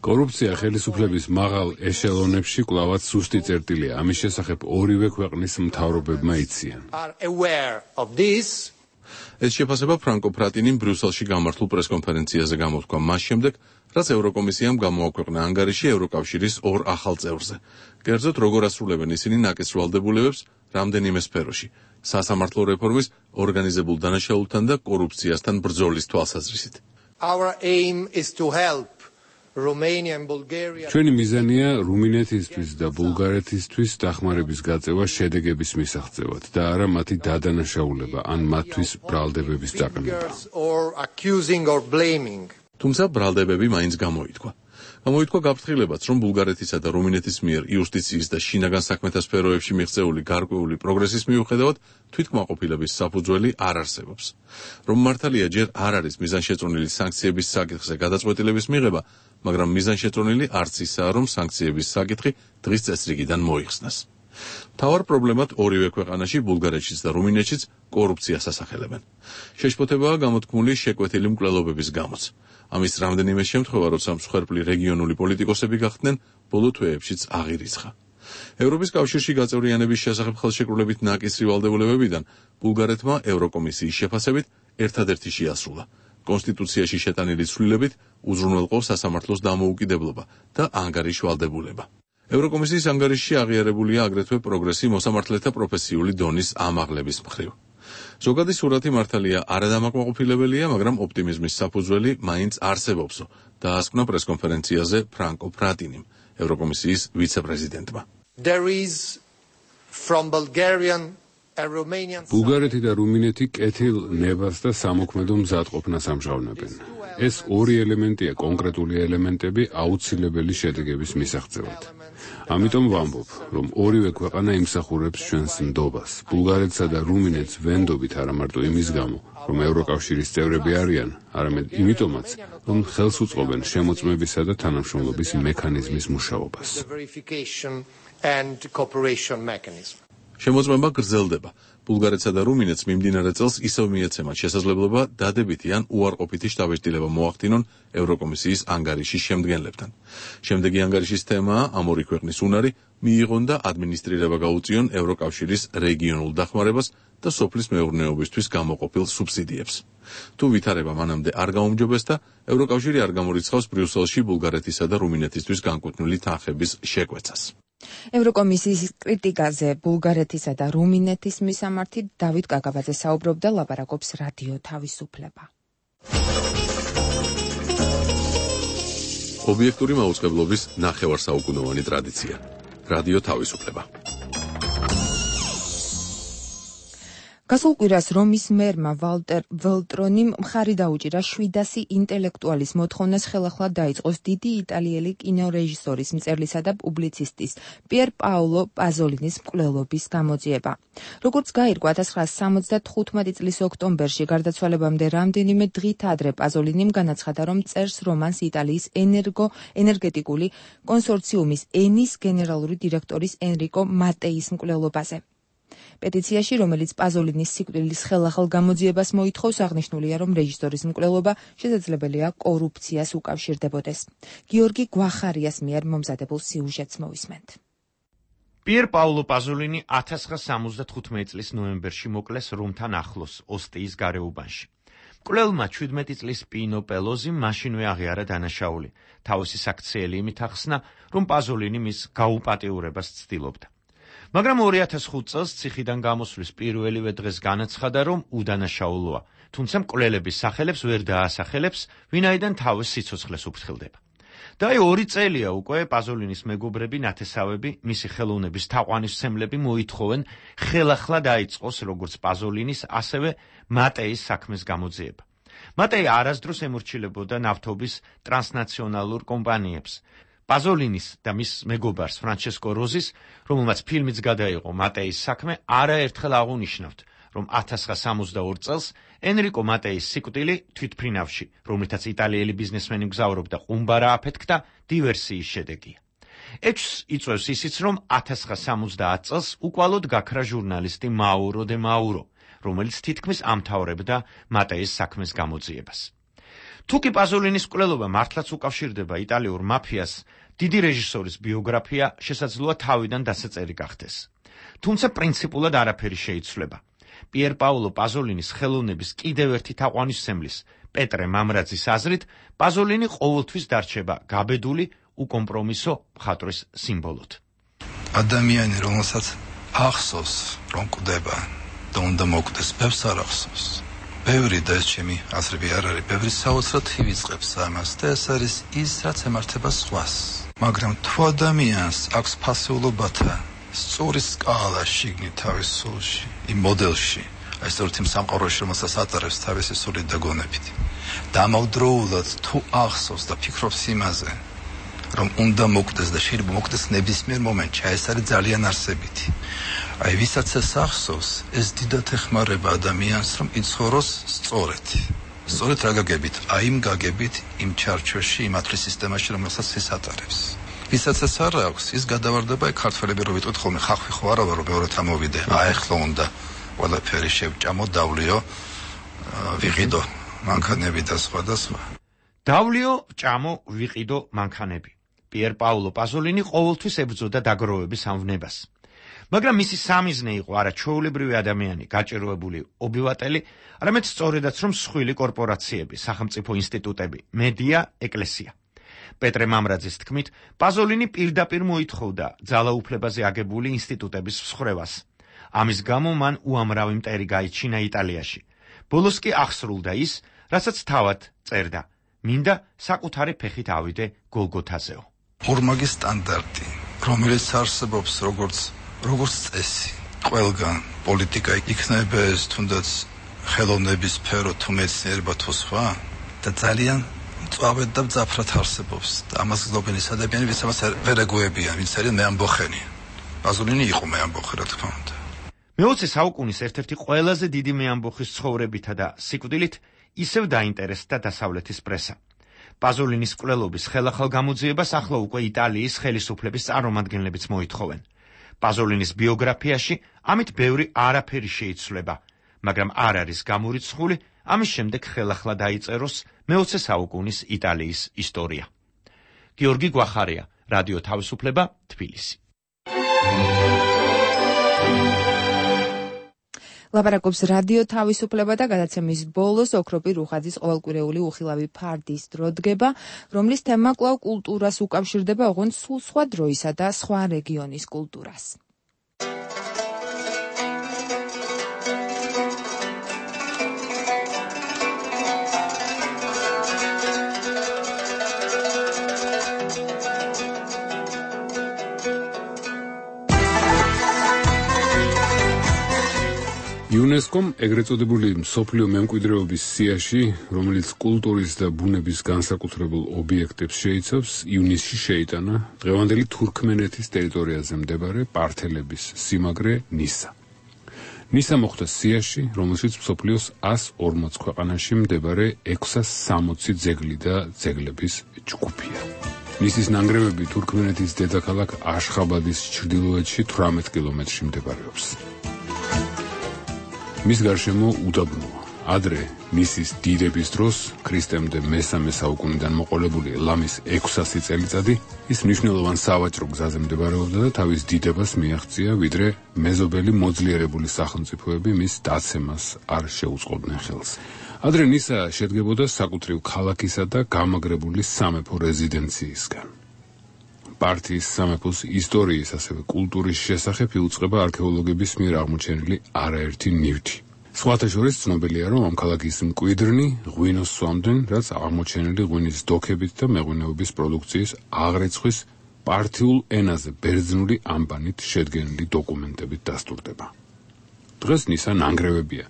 კორუფცია ხელისუფლების მაღალ ეშელონებში კვლავაც სუსტი წერტილია. ამის შესახებ ორივე ქვეყნის მთავრობებმა იციან. ეს შეფასება ფრანკო ფრატინიმ ბრიუსელში გამართულ პრესკონფერენციაზე გამოთქვა მას შემდეგ, რაც ევროკომისიამ გამოაქვეყნა ანგარიში ევროკავშირის ორ ახალ წევრზე. კერძოდ, როგორ ასრულებენ ისინი ნაკის ვალდებულებებს რამდენიმე სფეროში, სასამართლო რეფორმის, ორგანიზებულ დანაშაულთან და კორუფციასთან ბრძოლის თვალსაზრისით. ჩვენი მიზანია რუმინეთისთვის და ბულგარეთისთვის დახმარების გაწევა შედეგების მისაღწევად და არა მათი დადანაშაულება ან მათთვის ბრალდებების დაყენება. თუმცა ბრალდებები მაინც გამოითქვა. გამოითქვა გაფრთხილებაც, რომ ბულგარეთისა და რუმინეთის მიერ იუსტიციის და შინაგან საქმეთა სფეროებში მიღწეული გარკვეული პროგრესის მიუხედავად თვითკმაყოფილების საფუძველი არ არსებობს. რომ მართალია ჯერ არ არის მიზანშეწონილი სანქციების საკითხზე გადაწყვეტილების მიღება, მაგრამ მიზანშეწონილი არც ისაა, რომ სანქციების საკითხი დღის წესრიგიდან მოიხსნას. მთავარ პრობლემად ორივე ქვეყანაში, ბულგარეთშიც და რუმინეთშიც კორუფციას ასახელებენ. შეშფოთებაა გამოთქმული შეკვეთილი მკვლელობების გამოც. ამის რამდენიმე შემთხვევა, როცა მსხვერპლი რეგიონული პოლიტიკოსები გახდნენ, ბოლო თვეებშიც აღირიცხა. ევროპის კავშირში გაწევრიანების შესახებ ხელშეკრულებით ნაკისრი ვალდებულებებიდან ბულგარეთმა ევროკომისიის შეფასებით ერთადერთი შეასრულა. კონსტიტუციაში შეტანილი ცვლილებით უზრუნველყო სასამართლოს დამოუკიდებლობა და ანგარიშ ვალდებულება. ევროკომისიის ანგარიშში აღიარებულია აგრეთვე პროგრესი მოსამართლეთა პროფესიული დონის ამაღლების მხრივ. ზოგადი სურათი მართალია არადამაკმაყოფილებელია, მაგრამ ოპტიმიზმის საფუძველი მაინც არსებობსო, დაასკვნა პრესკონფერენციაზე ფრანკო ფრატინიმ, ევროკომისიის ვიცე-პრეზიდენტმა. from Bulgarian and Romanian ბულგარეთი და რუმინეთი კეთილ ნებას და სამოქმედო მზადყოფნას ამჟღავნებენ. ეს ორი ელემენტია კონკრეტული ელემენტები აუცილებელი შედეგების მისაღწევად. ამიტომ ვამბობ, რომ ორივე ქვეყანა იმსახურებს ჩვენს ნდობას. ბულგარეთსა და რუმინეთს ვენდობით არა მარტო იმის გამო, რომ ევროკავშირის წევრები არიან, არამედ იმიტომაც, რომ ხელს უწყობენ შემოწმებისა და თანამშრომლობის მექანიზმის მუშაობას. შემოწმება გრძელდება. ბულგარეთსა და რუმინეთს მიმდინარე წელს ისევ მიეცემათ შესაძლებლობა დადებითი ან უარყოფითი შთაბეჭდილება მოახდინონ ევროკომისიის ანგარიშის შემდგენლებთან. შემდეგი ანგარიშის თემაა ამ ორი ქვეყნის უნარი მიიღონ და ადმინისტრირება გაუწიონ ევროკავშირის რეგიონულ დახმარებას და სოფლის მეურნეობისთვის გამოყოფილ სუბსიდიებს. თუ ვითარება მანამდე არ გაუმჯობესდა, ევროკავშირი არ გამორიცხავს ბრიუსელში ბულგარეთისა და რუმინეთისთვის განკუთვნილი თანხების შეკვეცას. ევროკომისიის კრიტიკაზე ბულგარეთისა და რუმინეთის მისამართი დავით კაკაბაძე საუბრობდა, ლაპარაკობს რადიო თავისუფლება. ობიექტური მაუწყებლობის ნახევარსაუკუნოვანი ტრადიცია. რადიო თავისუფლება. გასულ კვირას რომის მერმა ვალტერ ველტრონიმ მხარი დაუჭირა შვიდასი ინტელექტუალის მოთხოვნას ხელახლა დაიწყოს დიდი იტალიელი კინორეჟისორის, მწერლისა და პუბლიცისტის პიერ პაოლო პაზოლინის მკვლელობის გამოძიება. როგორც გაირკვა ათას ცხრაასი სამოცდათხუთმეტი წლის ოქტომბერში გარდაცვალებამდე რამდენიმე დღით ადრე პაზოლინიმ განაცხადა, რომ წერს რომანს იტალიის ენერგო ენერგეტიკული კონსორციუმის ენის გენერალური დირექტორის ენრიკო მატეის მკვლელობაზე. პეტიციაში, რომელიც პაზოლინის სიკვდილის ხელახალ გამოძიებას მოითხოვს, აღნიშნულია, რომ რეჟისორის მკვლელობა შესაძლებელია კორუფციას უკავშირდებოდეს. გიორგი გვახარიას მიერ მომზადებულ სიუჟეტს მოვისმენთ. პიერ პაოლო პაზოლინი ათას ცხრაასი სამოცდათხუთმეტი წლის ნოემბერში მოკლეს რომთან ახლოს, ოსტიის გარეუბანში. მკვლელმა ჩვიდმეტი წლის პინო პელოზი მაშინვე აღიარა დანაშაული. თავისი საქციელი იმით ახსნა, რომ პაზოლინი მის გაუპატიურებას ცდილობდა. მაგრამ ორი ათას ხუთი წელს ციხიდან გამოსვლის პირველივე დღეს განაცხადა, რომ უდანაშაულოა, თუმცა მკვლელების სახელებს ვერ დაასახელებს, ვინაიდან თავის სიცოცხლეს უფრთხილდება. და აი ორი წელია უკვე პაზოლინის მეგობრები, ნათესავები, მისი ხელოვნების თაყვანისმცემლები მოითხოვენ ხელახლა დაიწყოს როგორც პაზოლინის, ასევე მატეის საქმის გამოძიება. მატეი არასდროს ემორჩილებოდა ნავთობის ტრანსნაციონალურ კომპანიებს. პაზოლინის და მის მეგობარს ფრანჩესკო როზის, რომელმაც ფილმიც გადაიღო მატეის საქმე, არაერთხელ აღუნიშნავთ, რომ ათას ცხრაასი სამოცდაორი წელს ენრიკო მატეის სიკვდილი თვითმფრინავში, რომლითაც იტალიელი ბიზნესმენი მგზავრობდა, ყუმბარა აფეთქდა, დივერსიის შედეგია. ეჭვს იწვევს ისიც, რომ ათას ცხრაასი სამოცდაათი წელს უკვალოდ გაქრა ჟურნალისტი მაურო დე მაურო, რომელიც თითქმის ამთავრებდა მატეის საქმის გამოძიებას. თუკი პაზოლინის მკვლელობა მართლაც უკავშირდება იტალიურ მაფიას, დიდი რეჟისორის ბიოგრაფია შესაძლოა თავიდან დასაწერი გახდეს. თუმცა პრინციპულად არაფერი შეიცვლება. პიერ პაოლო პაზოლინის ხელოვნების კიდევ ერთი თაყვანისმცემლის, პეტრე მამრაძის აზრით, პაზოლინი ყოველთვის დარჩება გაბედული, უკომპრომისო მხატვრის სიმბოლოდ. ადამიანი, რომელსაც ახსოვს, რომ კვდება და უნდა მოკვდეს, ბევრს არ ახსოვს. ბევრი და ეს ჩემი აზრები არ არის, ბევრი საოცრად ივიწყებს ამას და ეს არის ის, რაც ემართება სხვას. მაგრამ თუ ადამიანს აქვს ფასეულობათა სწორი სკალა შიგნით თავის სულში, იმ მოდელში, აი სწორედ იმ სამყაროში, რომელსაც ატარებს თავისი სულით და გონებით, დამავდროულად თუ ახსოვს და ფიქრობს იმაზე, რომ უნდა მოკვდეს და შეიძლება მოკვდეს ნებისმიერ მომენტში, ეს არის ძალიან არსებითი. აი ვისაც ეს ახსოვს, ეს დიდად ეხმარება ადამიანს, რომ იცხოვროს სწორედ. სწორედ რა გაგებით? აი იმ გაგებით, იმ ჩარჩოში, იმ ათრის სისტემაში, რომელსაც ის ატარებს. ვისაც ეს არ აქვს, ის გადავარდება, აი ქართველები რო ვიტყვით ხოლმე, ხახვი ხო არა ვარო, მეორე თამოვიდე. აი ახლა უნდა ყველაფერი შევჭამო, დავლიო, ვიყიდო მანქანები და სხვა და სხვა. დავლიო, ჭამო, ვიყიდო მანქანები. პიერ პაოლო პაზოლინი ყოველთვის ებრძოდა დაგროვების ამვნებას. მაგრამ მისი სამიზნე იყო არა ჩვეულებრივი ადამიანი, გაჭირვებული ობივატელი, არამედ სწორედაც რომ მსხვილი კორპორაციები, სახელმწიფო ინსტიტუტები, მედია, ეკლესია. პეტრე მამრაძის თქმით, პაზოლინი პირდაპირ მოითხოვდა ძალაუფლებაზე აგებული ინსტიტუტების მსხრევას. ამის გამო მან უამრავი მტერი გაიჩინა იტალიაში. ბოლოს კი აღსრულდა ის, რასაც თავად წერდა: მინდა საკუთარი ფეხით ავიდე გოლგოთაზეო. ორმაგი სტანდარტი, რომელიც არსებობს როგორც როგორც წესი, ყველგან პოლიტიკა იქნება ეს თუნდაც ხელოვნების სფერო თუ მეცნიერება თუ სხვა და ძალიან წავედ და მძაფრად არსებობს და ამას გლობენის ადამიანები ვინც ამას ვერ ეგუებიან, ვინც არიან მეამბოხენი. პაზოლინი იყო მეამბოხი, რა თქმა უნდა. მეოცე საუკუნის ერთ-ერთი ყველაზე დიდი მეამბოხის ცხოვრებითა და სიკვდილით ისევ დაინტერესდა დასავლეთის პრესა. პაზოლინის მკვლელობის ხელახალ გამოძიებას ახლა უკვე იტალიის ხელისუფლების წარმომადგენლებიც მოითხოვენ. პაზოლინის ბიოგრაფიაში ამით ბევრი არაფერი შეიცვლება, მაგრამ არ არის გამორიცხული ამის შემდეგ ხელახლა დაიწეროს მეოცე საუკუნის იტალიის ისტორია. გიორგი გვახარია, რადიო თავისუფლება, თბილისი. ლაპარაკობს რადიო თავისუფლება და გადაცემის ბოლოს ოქროპი რუხაძის ყოველკვირეული უხილავი ფარდის დრო დგება, რომლის თემა კვლავ კულტურას უკავშირდება, ოღონდ სულ სხვა დროისა და სხვა რეგიონის კულტურას. იუნესკომ ეგრეთ წოდებული მსოფლიო მემკვიდრეობის სიაში, რომელიც კულტურის და ბუნების განსაკუთრებულ ობიექტებს შეიცავს, ივნისში შეიტანა დღევანდელი თურქმენეთის ტერიტორიაზე მდებარე პართელების სიმაგრე ნისა. ნისა მოხდა სიაში, რომელშიც მსოფლიოს ას ორმოც ქვეყანაში მდებარე ექვსას სამოცი ძეგლი და ძეგლების ჯგუფია. ნისის ნანგრევები თურქმენეთის დედაქალაქ აშხაბადის ჩრდილოეთში თვრამეტ კილომეტრში მდებარეობს. მის გარშემო უდაბნოა. ადრე ნისის დიდების დროს, ქრისტემდე მესამე საუკუნიდან მოყოლებული ლამის ექვსასი წელიწადი, ის მნიშვნელოვან სავაჭრო გზაზე მდებარეობდა და თავის დიდებას მიაღწია, ვიდრე მეზობელი მოძლიერებული სახელმწიფოები მის დაცემას არ შეუწყობდნენ ხელს. ადრე ნისა შედგებოდა საკუთრივ ქალაქისა და გამაგრებული სამეფო რეზიდენციისგან. პართიის სამეფოს ისტორიის, ასევე კულტურის შესახებ იუწყება არქეოლოგების მიერ აღმოჩენილი არაერთი ნივთი. სხვათა შორის ცნობილია, რომ ამ ქალაქის მკვიდრნი ღვინოს სვამდნენ, რაც აღმოჩენილი ღვინის დოქებით და მეღვინეობის პროდუქციის აღრიცხვის პართიულ ენაზე ბერძნული ამბანით შედგენილი დოკუმენტებით დასტურდება. დღეს ნისა ნანგრევებია.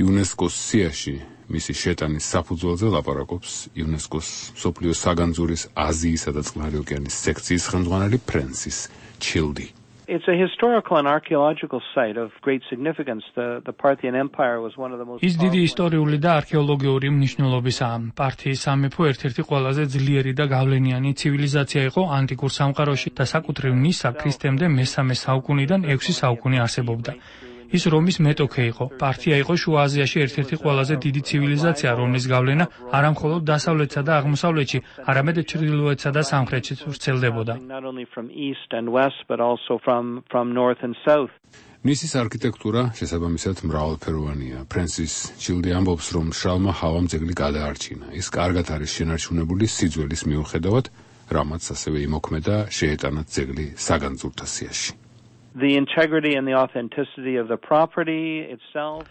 იუნესკოს სიაში მისი შეტანის საფუძველზე ლაპარაკობს იუნესკოს მსოფლიო საგანძურის აზიისა და წყნარი ოკეანის სექციის ხელმძღვანელი ფრენსის ჩილდი. It's a historical and archaeological site of great significance. The, the Parthian Empire was one of the most ის დიდი ისტორიული და არქეოლოგიური მნიშვნელობისაა. პართიის სამეფო ერთ-ერთი ყველაზე ძლიერი და გავლენიანი ცივილიზაცია იყო ანტიკურ სამყაროში და საკუთრივ ნისა ქრისტემდე მესამე საუკუნიდან ექვსი საუკუნე არსებობდა. ის რომის მეტოქე იყო. პართია იყო შუა აზიაში ერთ-ერთი ყველაზე დიდი ცივილიზაცია, რომლის გავლენა არა მხოლოდ დასავლეთსა და აღმოსავლეთში, არამედ ჩრდილოეთსა და სამხრეთშიც ვრცელდებოდა. ნისის არქიტექტურა შესაბამისად მრავალფეროვანია. ფრენსის ჩილდი ამბობს, რომ მშრალმა ჰავამ ძეგლი გადაარჩინა. ის კარგად არის შენარჩუნებული სიძველის მიუხედავად, რამაც ასევე იმოქმედა შეეტანა ძეგლი საგანძურთა სიაში. The integrity and the authenticity of the property itself.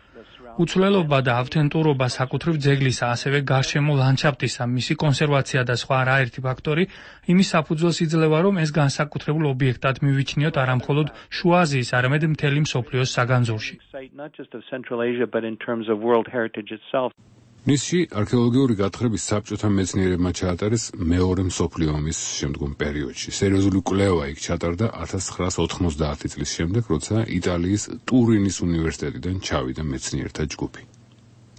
უცვლელობა და ავთენტურობა საკუთრივ ძეგლისა, ასევე გარშემო ლანდშაფტისა, მისი კონსერვაცია და სხვა არაერთი ფაქტორი იმის საფუძველს იძლევა, რომ ეს განსაკუთრებულ ობიექტად მივიჩნიოთ არა მხოლოდ შუა აზიის, არამედ მთელი მსოფლიოს საგანძურში. Not just of Central Asia, but in terms of world heritage itself. ნისში არქეოლოგიური გათხრების საბჭოთა მეცნიერებმა ჩაატარეს მეორე მსოფლიო ომის შემდგომ პერიოდში. სერიოზული კვლევა იქ ჩატარდა ათას ცხრაას ოთხმოცდაათი წლის შემდეგ, როცა იტალიის ტურინის უნივერსიტეტიდან ჩავიდა მეცნიერთა ჯგუფი.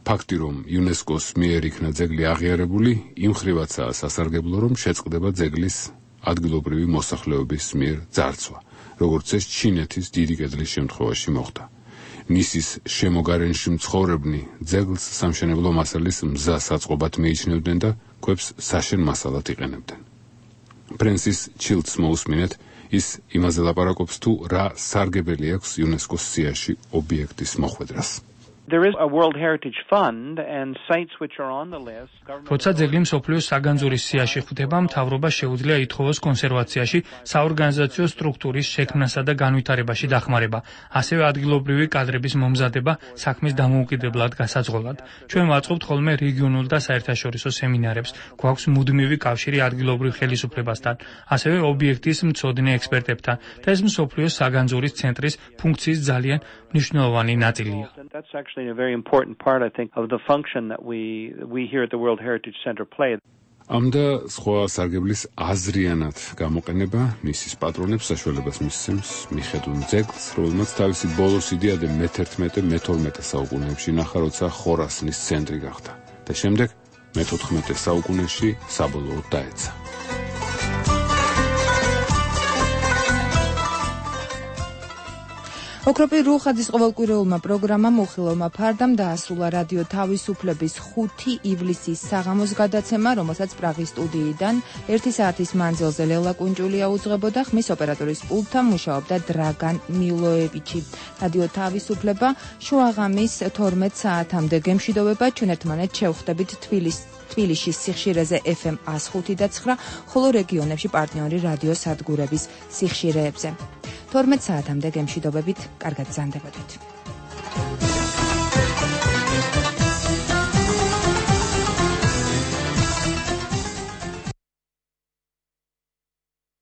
ფაქტი, რომ იუნესკოს მიერ იქნა ძეგლი აღიარებული, იმ ხრივაცაა სასარგებლო, რომ შეწყდება ძეგლის ადგილობრივი მოსახლეობის მიერ ძარცვა, როგორც ეს ჩინეთის დიდი კედლის შემთხვევაში მოხდა. ნისის შემოგარენში მცხოვრებნი ძეგლს სამშენებლო მასალის მზას აწყობად მიიჩნევდნენ და ქვებს საშენ მასალად იყენებდნენ. ფრენსის ჩილდს მოусმინეთ, ის იმაზე ლაპარაკობს, თუ რა სარგებელი აქვს იუნესკოს სიაში ობიექტის მოხვედრას. There is a World Heritage Fund and sites which are on the list. როცა ძეგლი მსოფლიოს საგანძურის სიაში ხვდება, მთავრობა შეუძლია ითხოვოს კონსერვაციაში, საორგანიზაციო სტრუქტურის შექმნასა და განვითარებაში დახმარება, ასევე ადგილობრივი კადრების მომზადება საქმის დამოუკიდებლად გასაძღოლად. ჩვენ ვაწყობთ ხოლმე რეგიონულ და საერთაშორისო სემინარებს, გვაქვს მუდმივი კავშირი ადგილობრივ ხელისუფლებასთან, ასევე ობიექტის მცოდნე ექსპერტებთან და ეს მსოფლიოს საგანძურის ცენტრის ფუნქციის ძალიან მნიშვნელოვანი ნაწილია. That's actually a very important part, I think, of the function that we we here at the World Heritage Center play. ამდა სხვა სარგებლის აზრიანად გამოყენება მისის პატრონებს საშუალებას მისცემს მიხედვით ძეგლს, რომელმაც თავისი ბოლოს იდეა მე-თერთმეტე მე-თორმეტე საუკუნეებში ნახა, როცა ხორასნის ცენტრი გახდა და შემდეგ მე-თოთხმეტე საუკუნეში საბოლოოდ დაეცა. ოქროპი რუხაძის ყოველკვირეულმა პროგრამამ უხილავმა ფარდამ დაასრულა რადიო თავისუფლების ხუთი ივლისის საღამოს გადაცემა, რომელსაც პრაღის სტუდიიდან ერთი საათის მანძილზე ლელა კუნჭულია უძღვებოდა, ხმის ოპერატორის პულტთან მუშაობდა დრაგან მილოევიჩი. რადიო თავისუფლება შუაღამის თორმეტ საათამდე გემშვიდობება, ჩვენ ერთმანეთს შევხვდებით თბილისში თბილისის სიხშირეზე ეფ ემ ას ხუთი და ცხრა, ხოლო რეგიონებში პარტნიორი რადიო სადგურების სიხშირეებზე. თორმეტ საათამდე გემშვიდობებით, კარგად გზანდებოდეთ.